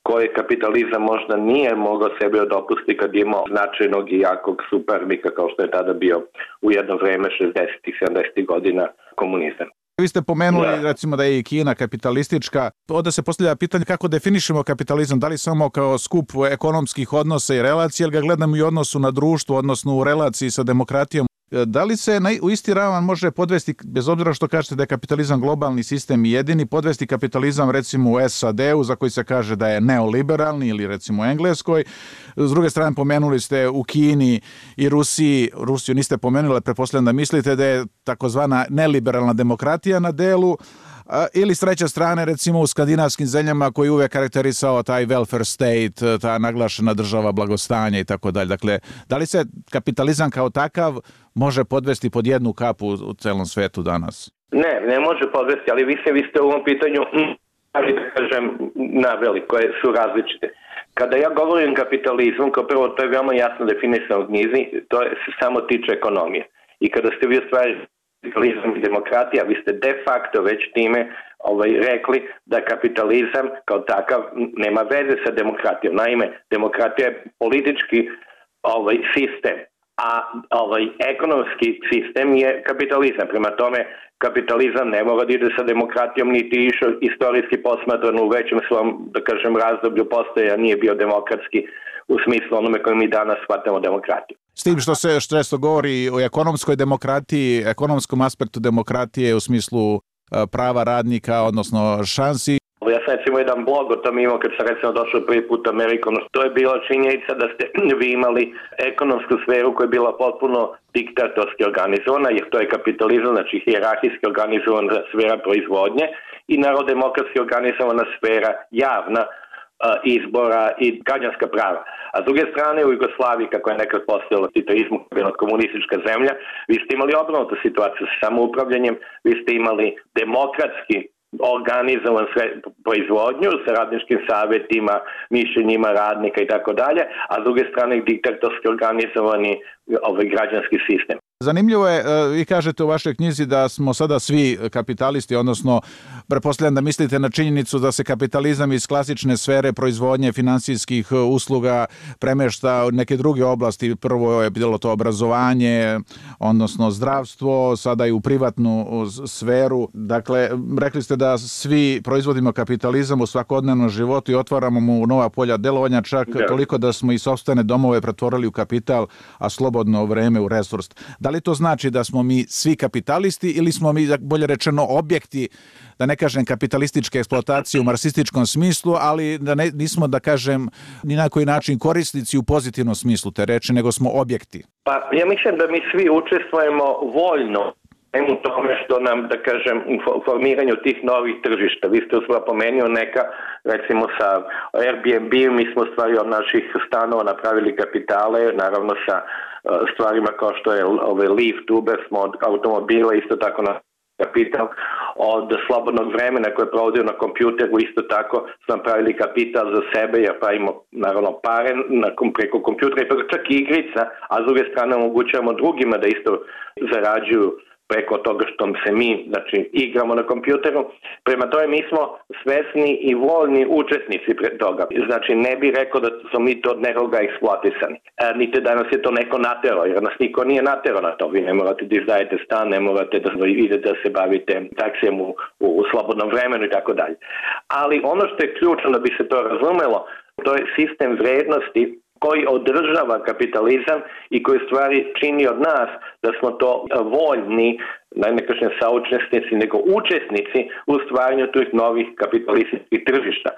Speaker 14: koje kapitalizam možda nije mogao sebi dopustiti kad je imao značajnog i jakog suparnika kao što je tada bio u jedno vreme šezdesetih sedamdesetih godina komunizam.
Speaker 13: Vi ste pomenuli
Speaker 14: da.
Speaker 13: recimo da je i Kina kapitalistička. Onda se postavlja pitanje kako definišemo kapitalizam, da li samo kao skup ekonomskih odnosa i relacija, ili ga gledamo i u odnosu na društvo, odnosno u relaciji sa demokratijom. Da li se na, u isti ravan može podvesti, bez obzira što kažete da je kapitalizam globalni sistem i jedini, podvesti kapitalizam recimo u S A D-u za koji se kaže da je neoliberalni ili recimo u Engleskoj. S druge strane pomenuli ste u Kini i Rusiji, Rusiju niste pomenuli, pretpostavljam da mislite da je takozvana neliberalna demokratija na delu, ili s treće strane recimo u skandinavskim zemljama koji uvek karakterisao taj welfare state, ta naglašena država blagostanja i tako dalje. Dakle, da li se kapitalizam kao takav može podvesti pod jednu kapu u celom svetu danas?
Speaker 14: Ne, ne može podvesti, ali vi ste, vi ste u ovom pitanju stvari, da kažem, naveli, koje su različite. Kada ja govorim kapitalizmu, kao prvo, to je veoma jasno definisano u knjizi, to je, se samo tiče ekonomije. I kada ste vi ostvarili kapitalizam i demokratija, vi ste de facto već time ovaj, rekli da kapitalizam kao takav nema veze sa demokratijom. Naime, demokratija je politički ovaj, sistem, a ovaj, ekonomski sistem je kapitalizam. Prema tome, kapitalizam ne mora da ide sa demokratijom, niti išao istorijski posmatran u većem svom, da kažem, razdoblju postoja, nije bio demokratski u smislu onome koje mi danas shvatamo demokratiju.
Speaker 13: S tim što se često govori o ekonomskoj demokratiji, ekonomskom aspektu demokratije u smislu prava radnika, odnosno šansi.
Speaker 14: Ja sam recimo jedan blog o tom imao kad sam recimo došao prvi put u Ameriku. To je bila činjenica da ste vi imali ekonomsku sferu koja je bila potpuno diktatorski organizovana, jer to je kapitalizam, znači hijerarhijski organizovana sfera proizvodnje i narodemokratski organizovana sfera javna izbora i građanska prava. A s druge strane u Jugoslaviji, kako je nekad postojalo titoizmu, bila komunistička zemlja, vi ste imali obrnutu situaciju sa samoupravljanjem, vi ste imali demokratski organizovan sve proizvodnju sa radničkim savjetima, mišljenjima radnika i tako dalje, a s druge strane diktatorski organizovani ovaj građanski sistem.
Speaker 13: Zanimljivo je, vi kažete u vašoj knjizi da smo sada svi kapitalisti, odnosno pretpostavljam da mislite na činjenicu da se kapitalizam iz klasične sfere proizvodnje finansijskih usluga premešta u neke druge oblasti. Prvo je bilo to obrazovanje, odnosno zdravstvo, sada i u privatnu sferu. Dakle, rekli ste da svi proizvodimo kapitalizam u svakodnevnom životu i otvaramo mu nova polja delovanja, čak da. Toliko da smo i sopstvene domove pretvorili u kapital, a slobodno vreme u resurs. Da li to znači da smo mi svi kapitalisti ili smo mi, bolje rečeno, objekti, da ne kažem kapitalističke eksploatacije u marksističkom smislu, ali da ne, nismo, da kažem, ni na koji način korisnici u pozitivnom smislu te reči, nego smo objekti?
Speaker 14: Pa ja mislim da mi svi učestvujemo voljno u tome što nam, da kažem, u formiranju tih novih tržišta. Vi ste uspela pomenio neka, recimo sa Airbnb, mi smo stvari od naših stanova napravili kapitale, naravno sa stvarima kao što je ove Lyft, Uber, smo od automobila isto tako na kapital, od slobodnog vremena koje provodio na kompjuteru isto tako smo napravili kapital za sebe, jer pravimo naravno pare preko kompjutera i preko čak i igrica, a s druge strane omogućavamo drugima da isto zarađuju preko toga što se mi, znači, igramo na kompjuteru. Prema tome mi smo svesni i voljni učesnici pre toga. Znači ne bi rekao da smo mi to od nekoga eksploatisani. E, niti da nas je to neko naterao, jer nas niko nije naterao na to. Vi ne morate da izdajete stan, ne morate da idete da se bavite taksijem u, u, u slobodnom vremenu i tako dalje. Ali ono što je ključno da bi se to razumelo, to je sistem vrednosti koji održava kapitalizam i koji stvari čini od nas da smo to voljni, ne kažem saučesnici, nego učesnici u stvaranju tih novih kapitalističkih tržišta.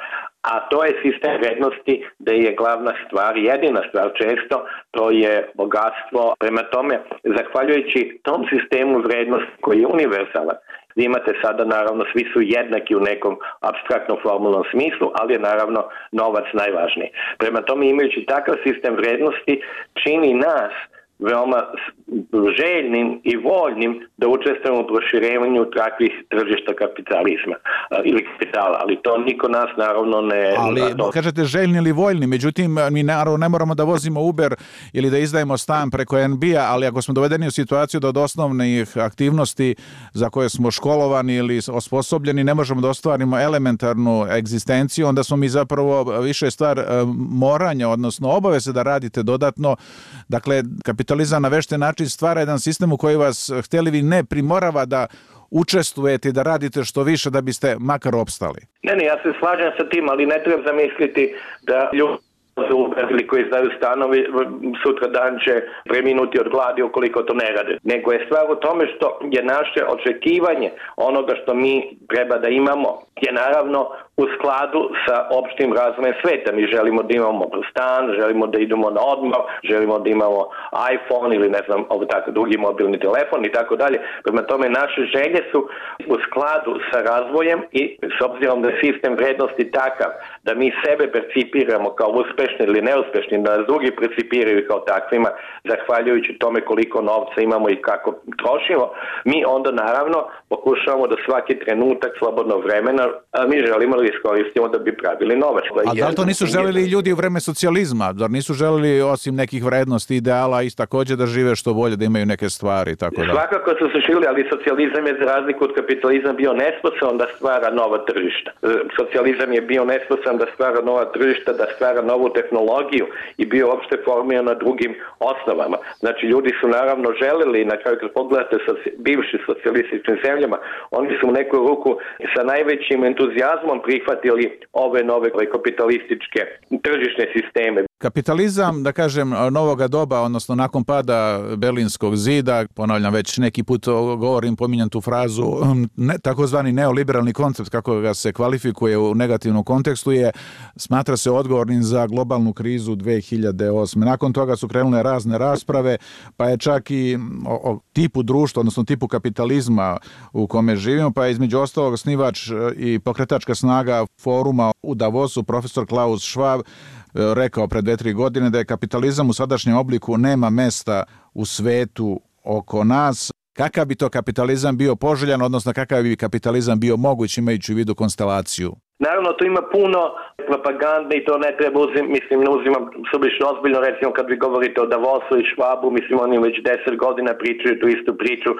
Speaker 14: A to je sistem vrednosti da je glavna stvar, jedina stvar često, to je bogatstvo. Prema tome, zahvaljujući tom sistemu vrednosti koji je univerzalan, vi imate sada, naravno, svi su jednaki u nekom apstraktnom formulnom smislu, ali je naravno novac najvažniji. Prema tome, imajući takav sistem vrednosti, čini nas veoma željnim i voljnim da učestvujemo u proširenju takvih tržišta kapitalizma ili kapitala, ali to niko nas naravno ne...
Speaker 13: Ali kažete željni ili voljni, međutim mi naravno ne moramo da vozimo Uber ili da izdajemo stan preko en be a, ali ako smo dovedeni u situaciju da od osnovnih aktivnosti za koje smo školovani ili osposobljeni ne možemo da ostvarimo elementarnu egzistenciju, onda smo mi zapravo više stvar moranja, odnosno obaveze da radite dodatno. Dakle, kapitalizam na vešten način stvara jedan sistem u koji vas, htjeli vi ne, primorava da učestvujete i da radite što više da biste makar opstali.
Speaker 14: Ne, ne, ja se slažem sa tim, ali ne treba zamisliti da ljudi ili koji izdaju stanovi sutra dan će preminuti od gladi ukoliko to ne rade. Nego je stvar u tome što je naše očekivanje onoga što mi treba da imamo je naravno u skladu sa opštim razvojem sveta. Mi želimo da imamo stan, želimo da idemo na odmor, želimo da imamo iPhone ili ne znam, ovo tako, drugi mobilni telefon i tako dalje. Prema tome naše želje su u skladu sa razvojem i s obzirom da je sistem vrednosti takav da mi sebe percipiramo kao uspešni ili neuspešni, da nas drugi percipiraju kao takvima, zahvaljujući tome koliko novca imamo i kako trošimo, mi onda naravno pokušavamo da svaki trenutak slobodnog vremena a mi želimo da iskoristimo da bi pravili novac.
Speaker 13: A da li to nisu želeli ljudi u vreme socijalizma? Da nisu želeli osim nekih vrednosti, ideala i također da žive što bolje, da imaju neke stvari? Tako da.
Speaker 14: Svakako su se žili, ali socijalizam je za razliku od kapitalizma bio nesposoban da stvara nova tržišta. Socijalizam je bio nesposoban da stvara nova tržišta, da stvara novu tehnologiju i bio uopšte formiran na drugim osnovama. Znači, ljudi su naravno želeli, na kraju kad pogledate sa bivšim socijalističkim zemljama, oni su u neku ruku sa najvećim entuzijazmom prihvatili ove nove kapitalističke tržišne sisteme.
Speaker 13: Kapitalizam, da kažem, novoga doba, odnosno nakon pada Berlinskog zida, ponavljam već neki put govorim, pominjam tu frazu, ne, takozvani neoliberalni koncept, kako ga se kvalifikuje u negativnom kontekstu, je, smatra se odgovornim za globalnu krizu dve hiljade osme. Nakon toga su krenule razne rasprave, pa je čak i o, o tipu društva, odnosno tipu kapitalizma u kome živimo, pa je između ostalog osnivač i pokretačka snaga foruma u Davosu, profesor Klaus Schwab, rekao pred dve, tri godine da je kapitalizam u sadašnjem obliku nema mesta u svetu oko nas. Kakav bi to kapitalizam bio poželjan, odnosno kakav bi kapitalizam bio moguć imajući u vidu konstelaciju?
Speaker 14: Naravno, tu ima puno propagande i to ne treba uzim, mislim, ne uzimam sublično ozbiljno, recimo kad vi govorite o Davosu i Schwabu, mislim, oni već deset godina pričaju tu istu priču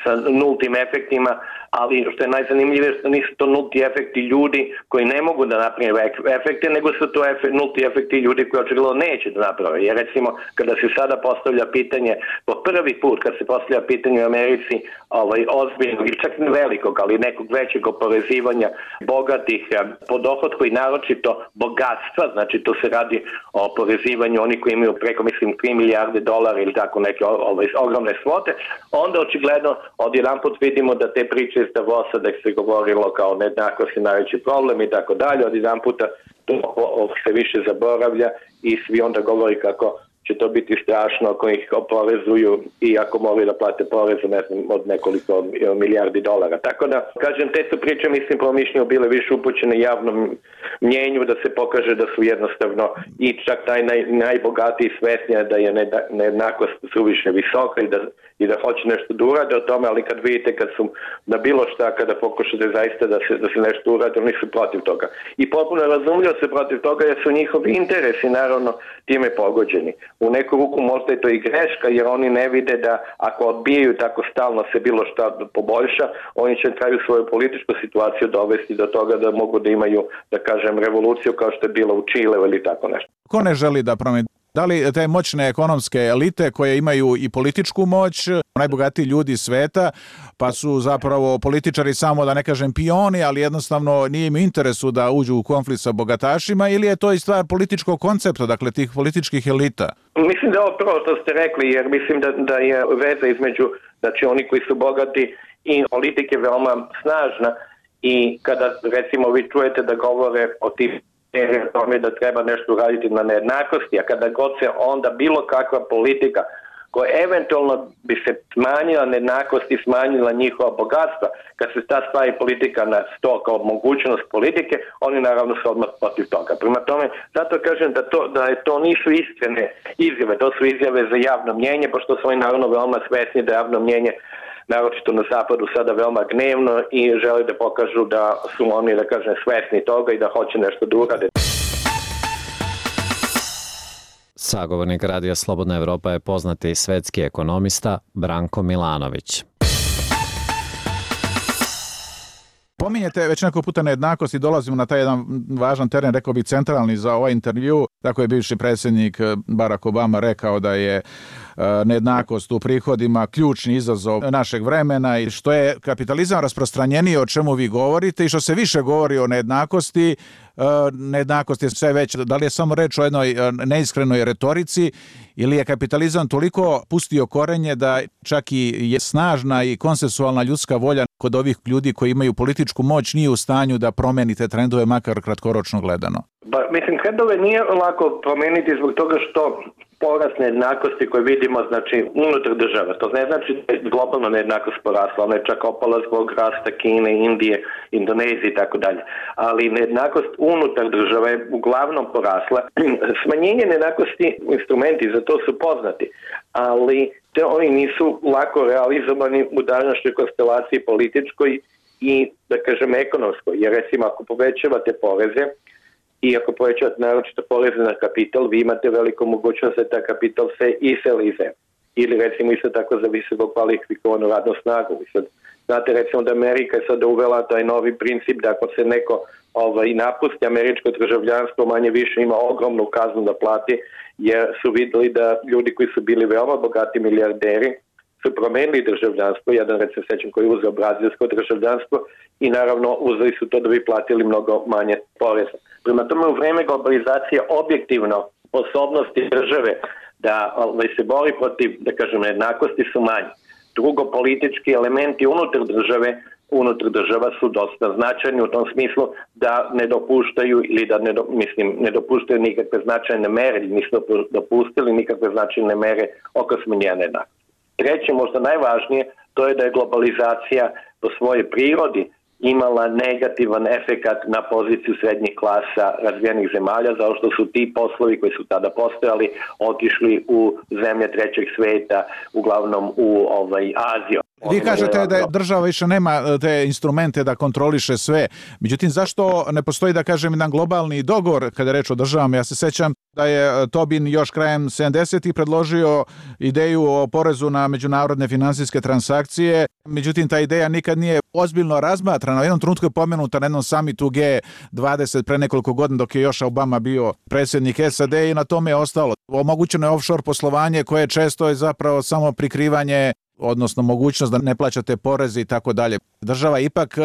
Speaker 14: sa nultim efektima, ali što je najzanimljivije što nisu to nulti efekti ljudi koji ne mogu da naprave efekte, nego su to efekt, nulti efekti ljudi koji očigledno neće da naprave. Jer recimo, kada se sada postavlja pitanje, po prvi put kad se postavlja pitanje u Americi, ovaj, ozbiljnog, čak ne velikog, ali nekog većeg oporezivanja bogatih po dohodku i naročito bogatstva, znači to se radi o oporezivanju onih koji imaju preko, mislim, tri milijarde dolara ili tako neke ovaj, ogromne svote, onda očigledno odjedanput vidimo da te priče iz Davosa da se govorilo kao nejednakost je najveći problem i tako dalje, odjedanputa to se više zaboravlja i svi onda govori kako će to biti strašno ako ih oporezuju i ako moraju da plate porezu ne znam, od nekoliko milijardi dolara. Tako da, kažem, te su priče, mislim, po mišljenju bile više upućene javnom mnjenju da se pokaže da su jednostavno i čak taj naj, najbogatiji svesnija da je nejednakost suviše visoka i da, i da hoće nešto da urade o tome, ali kad vidite kad su na bilo šta, kada pokušate zaista da se, da se nešto urade, oni su protiv toga. I potpuno razumljivo se protiv toga jer su njihovi interesi naravno time pogođeni. U neku ruku možda je to i greška jer oni ne vide da ako odbijaju tako stalno se bilo šta poboljša, oni će traju svoju političku situaciju dovesti do toga da mogu da imaju, da kažem, revoluciju kao što je bila u Čileu ili tako nešto.
Speaker 13: Ko ne želi da promeni? Da li te moćne ekonomske elite koje imaju i političku moć, najbogatiji ljudi sveta, pa su zapravo političari samo, da ne kažem, pioni, ali jednostavno nije im interesu da uđu u konflikt sa bogatašima, ili je to i stvar političkog koncepta, dakle tih političkih elita?
Speaker 14: Mislim da je ovo prvo što ste rekli, jer mislim da, da je veza između, znači oni koji su bogati i politike veoma snažna i kada recimo vi čujete da govore o tim tome da treba nešto uraditi na nejednakosti, a kada god se onda bilo kakva politika koja eventualno bi se smanjila nejednakost i smanjila njihova bogatstva, kad se ta stavi politika na sto kao mogućnost politike, oni naravno su odmah protiv toga. Prema tome, zato kažem da to, da je to nisu iskrene izjave, to su izjave za javno mnjenje, pošto su oni naravno veoma svesni da javno mnjenje naročito na zapadu sada veoma gnevno i žele da pokažu da su oni, da kažem, svesni toga i da hoće nešto da urade.
Speaker 15: Sagovornik Radija Slobodna Evropa je poznati svetski ekonomista Branko Milanović.
Speaker 13: Pominjete već neko puta nejednakost i dolazimo na taj jedan važan teren, rekao bih centralni za ovaj intervju. Tako je bivši predsjednik Barack Obama rekao da je nejednakost u prihodima ključni izazov našeg vremena i što je kapitalizam rasprostranjeniji, o čemu vi govorite, i što se više govori o nejednakosti, nejednakost je sve već. Da li je samo reč o jednoj neiskrenoj retorici ili je kapitalizam toliko pustio korenje da čak i je snažna i konsensualna ljudska volja kod ovih ljudi koji imaju političku moć nije u stanju da promeni te trendove, makar kratkoročno gledano?
Speaker 14: Ba, mislim, trendove nije lako promeniti zbog toga što porast nejednakosti koje vidimo, znači, unutar država. To ne znači da je globalna nejednakost porasla, ona je čak opala zbog rasta Kine, Indije, Indonezije i tako dalje. Ali nejednakost unutar država je uglavnom porasla. Smanjenje nejednakosti, instrumenti za to su poznati, ali te oni nisu lako realizovani u današnjoj konstelaciji političkoj i, da kažem, ekonomsko. Jer recimo ako povećavate poreze i ako povećavate naročito poreze na kapital, vi imate veliku mogućnost da ta kapital se iseli iz zemlje. Ili recimo isto tako za visoko kvalifikovanu radnu snagu. Sad, znate recimo da Amerika je sada uvela taj novi princip da ako se neko ovaj, napusti američko državljanstvo, manje više ima ogromnu kaznu da plati, jer su vidjeli da ljudi koji su bili veoma bogati milijarderi su promenili državljanstvo, jedan recimo sećam koji je uzeo brazilsko državljanstvo i naravno uzeli su to da bi platili mnogo manje poreza. Prema tome u vreme globalizacije objektivno sposobnosti države da ovaj, se bori protiv, da kažem, nejednakosti su manji. Drugo, politički elementi unutar države, unutar država su dosta značajni u tom smislu da ne dopuštaju ili da ne, do, mislim, ne dopuštaju nikakve značajne mere, nisu dopustili nikakve značajne mere oko smanjenja nejednakosti. Treće, možda najvažnije, to je da je globalizacija po svojoj prirodi imala negativan efekat na poziciju srednjih klasa razvijenih zemalja, zato što su ti poslovi koji su tada postojali otišli u zemlje trećeg sveta, uglavnom u ovaj, Aziju.
Speaker 13: Vi kažete da je država više nema te instrumente da kontroliše sve. Međutim, zašto ne postoji, da kažem, jedan globalni dogovor kada je reč o državama? Ja se sećam da je Tobin još krajem sedamdesetih predložio ideju o porezu na međunarodne finansijske transakcije. Međutim, ta ideja nikad nije ozbiljno razmatrana. U jednom trenutku je pomenuta na jednom samitu G dvadeset pre nekoliko godina dok je još Obama bio predsjednik S A D i na tome je ostalo. Omogućeno je offshore poslovanje koje često je zapravo samo prikrivanje, odnosno mogućnost da ne plaćate poreze i tako dalje. Država je ipak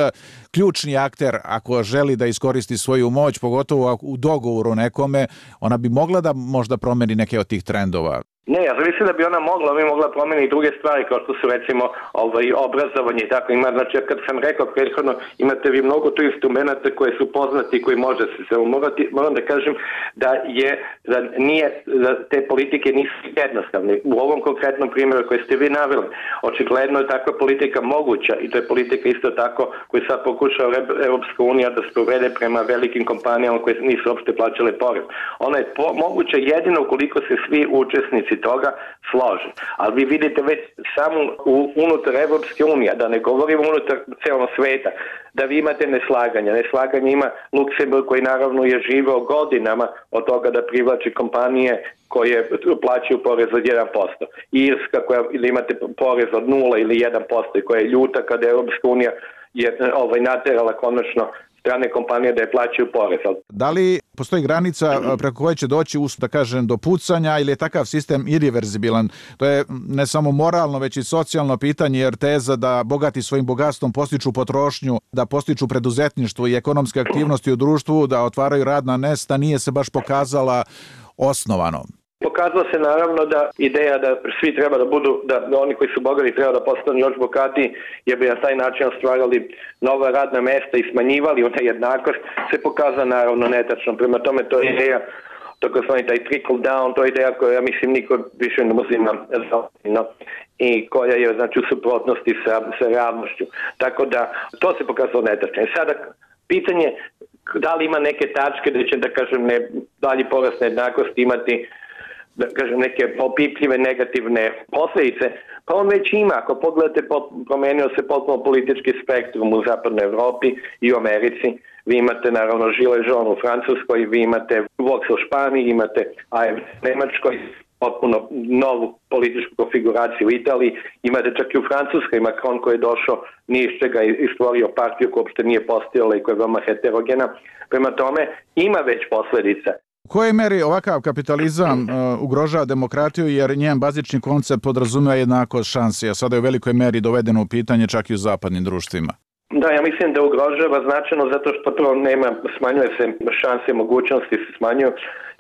Speaker 13: ključni akter ako želi da iskoristi svoju moć, pogotovo u dogovoru nekome, ona bi mogla da možda promeni neke od tih trendova.
Speaker 14: Ne, ja mislim da bi ona mogla, bi mogla promeniti druge stvari kao što su recimo ovaj, obrazovanje i tako ima. Znači, kad sam rekao prethodno, imate vi mnogo tu instrumenta koje su poznati i koji može se samo morati. Moram da kažem da je, da nije, da te politike nisu jednostavne. U ovom konkretnom primjeru koje ste vi naveli, očigledno je takva politika moguća i to je politika isto tako koju sad pokušava Europska unija da sprovede prema velikim kompanijama koje nisu uopšte plaćale porez. Ona je po, moguća jedino ukoliko se svi učesnici toga slože. Ali vi vidite već samo u, unutar Evropske unije, da ne govorimo unutar celog sveta, da vi imate neslaganja. Neslaganje ima Luksemburg koji naravno je živeo godinama od toga da privlači kompanije koje plaćaju porez od jedan posto. Irska koja ili imate porez od nula ili jedan posto i koja je ljuta kada je Evropska unija je ovaj, naterala konačno strane kompanije da je plaćaju porez.
Speaker 13: Da li postoji granica preko koje će doći, da kažem, do pucanja ili je takav sistem irreverzibilan? To je ne samo moralno, već i socijalno pitanje, jer teza da bogati svojim bogatstvom postiču potrošnju, da postiču preduzetništvo i ekonomske aktivnosti u društvu, da otvaraju radna mesta, nije se baš pokazala osnovano.
Speaker 14: Pokazalo se naravno da ideja da svi treba da budu, da, da oni koji su bogati treba da postanu još bogatiji, jer bi na taj način ostvarali nova radna mesta i smanjivali u nejednakost, se pokazala naravno netačno. Prema tome to je ideja, takozvani taj trickle down, to je ideja koja ja mislim niko više ne uzima no, i koja je znači u suprotnosti sa, sa realnošću. Tako da to se pokazalo netačno. I sada pitanje da li ima neke tačke da će, da kažem, ne, dalji porast nejednakosti imati, da kažem, neke opipljive negativne posljedice, pa on već ima. Ako pogledate, promenio se potpuno politički spektrum u zapadnoj Evropi i u Americi. Vi imate naravno Gilets jaunes u Francuskoj, vi imate Vox u Španiji, imate A F D u Nemačkoj, potpuno novu političku konfiguraciju u Italiji, imate čak i u Francuskoj Macron koji je došao nije iz čega i stvorio partiju koja uopšte nije postojala i koja je veoma heterogena. Prema tome ima već posljedica.
Speaker 13: U kojoj meri ovakav kapitalizam uh, ugrožava demokratiju, jer njen bazični koncept podrazumeva jednakost šansi, a sada je u velikoj meri dovedeno u pitanje čak i u zapadnim društvima?
Speaker 14: Da, ja mislim da ugrožava značajno zato što prvo nema, smanjuje se šanse, mogućnosti se smanjuju.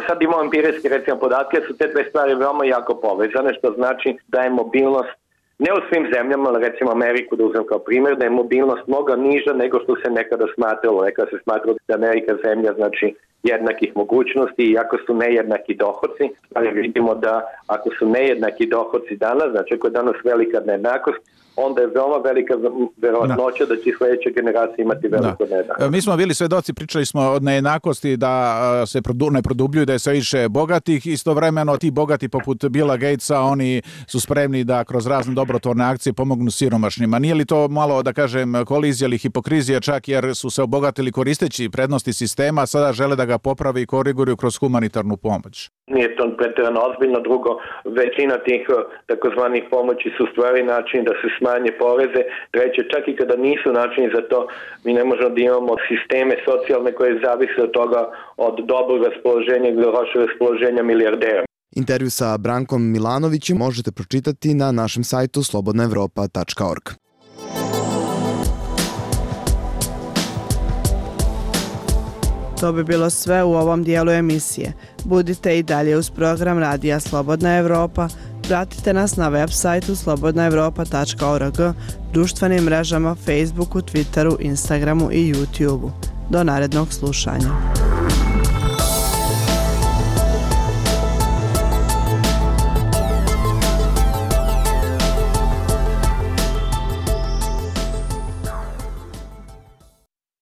Speaker 14: Sad imamo empirijske recimo podatke, su te dve stvari veoma jako povezane, što znači da je mobilnost ne u svim zemljama, ali recimo Ameriku da uzmem kao primjer, da je mobilnost mnogo niža nego što se nekada smatralo. Nekada se smatralo da Amerika zemlja znači jednakih mogućnosti i ako su nejednaki dohodci, ali vidimo da ako su nejednaki dohodci danas, znači ako je danas velika nejednakost, onda je veoma velika verovatnoća da. da će sledeća generacija imati veliko da. nejednakost.
Speaker 13: Mi smo bili svedoci, pričali smo od nejednakosti da se ne produbljuju, da je sve više bogatih, istovremeno ti bogati poput Billa Gatesa, oni su spremni da kroz razne dobrotvorne akcije pomognu siromašnjima. Nije li to malo, da kažem, kolizija ili hipokrizija čak jer su se obogatili koristeći prednosti sistema, a sada žele da ga popravi i koriguju kroz humanitarnu pomoć?
Speaker 14: Nije to pretjerano ozbiljno. Drugo, većina tih takozvanih pomoći su stvari način da se smanje poreze. Treće, čak i kada nisu načini za to, mi ne možemo da imamo sisteme socijalne koje zavise od toga od dobrog raspoloženja ili lošeg raspoloženja milijardera.
Speaker 12: Intervju sa Brankom Milanovićem možete pročitati na našem sajtu slobodna evropa tačka org.
Speaker 3: To bi bilo sve u ovom dijelu emisije. Budite i dalje uz program Radija Slobodna Evropa. Pratite nas na web sajtu slobodna evropa tačka org, društvenim mrežama Facebooku, Twitteru, Instagramu i YouTubeu. Do narednog slušanja.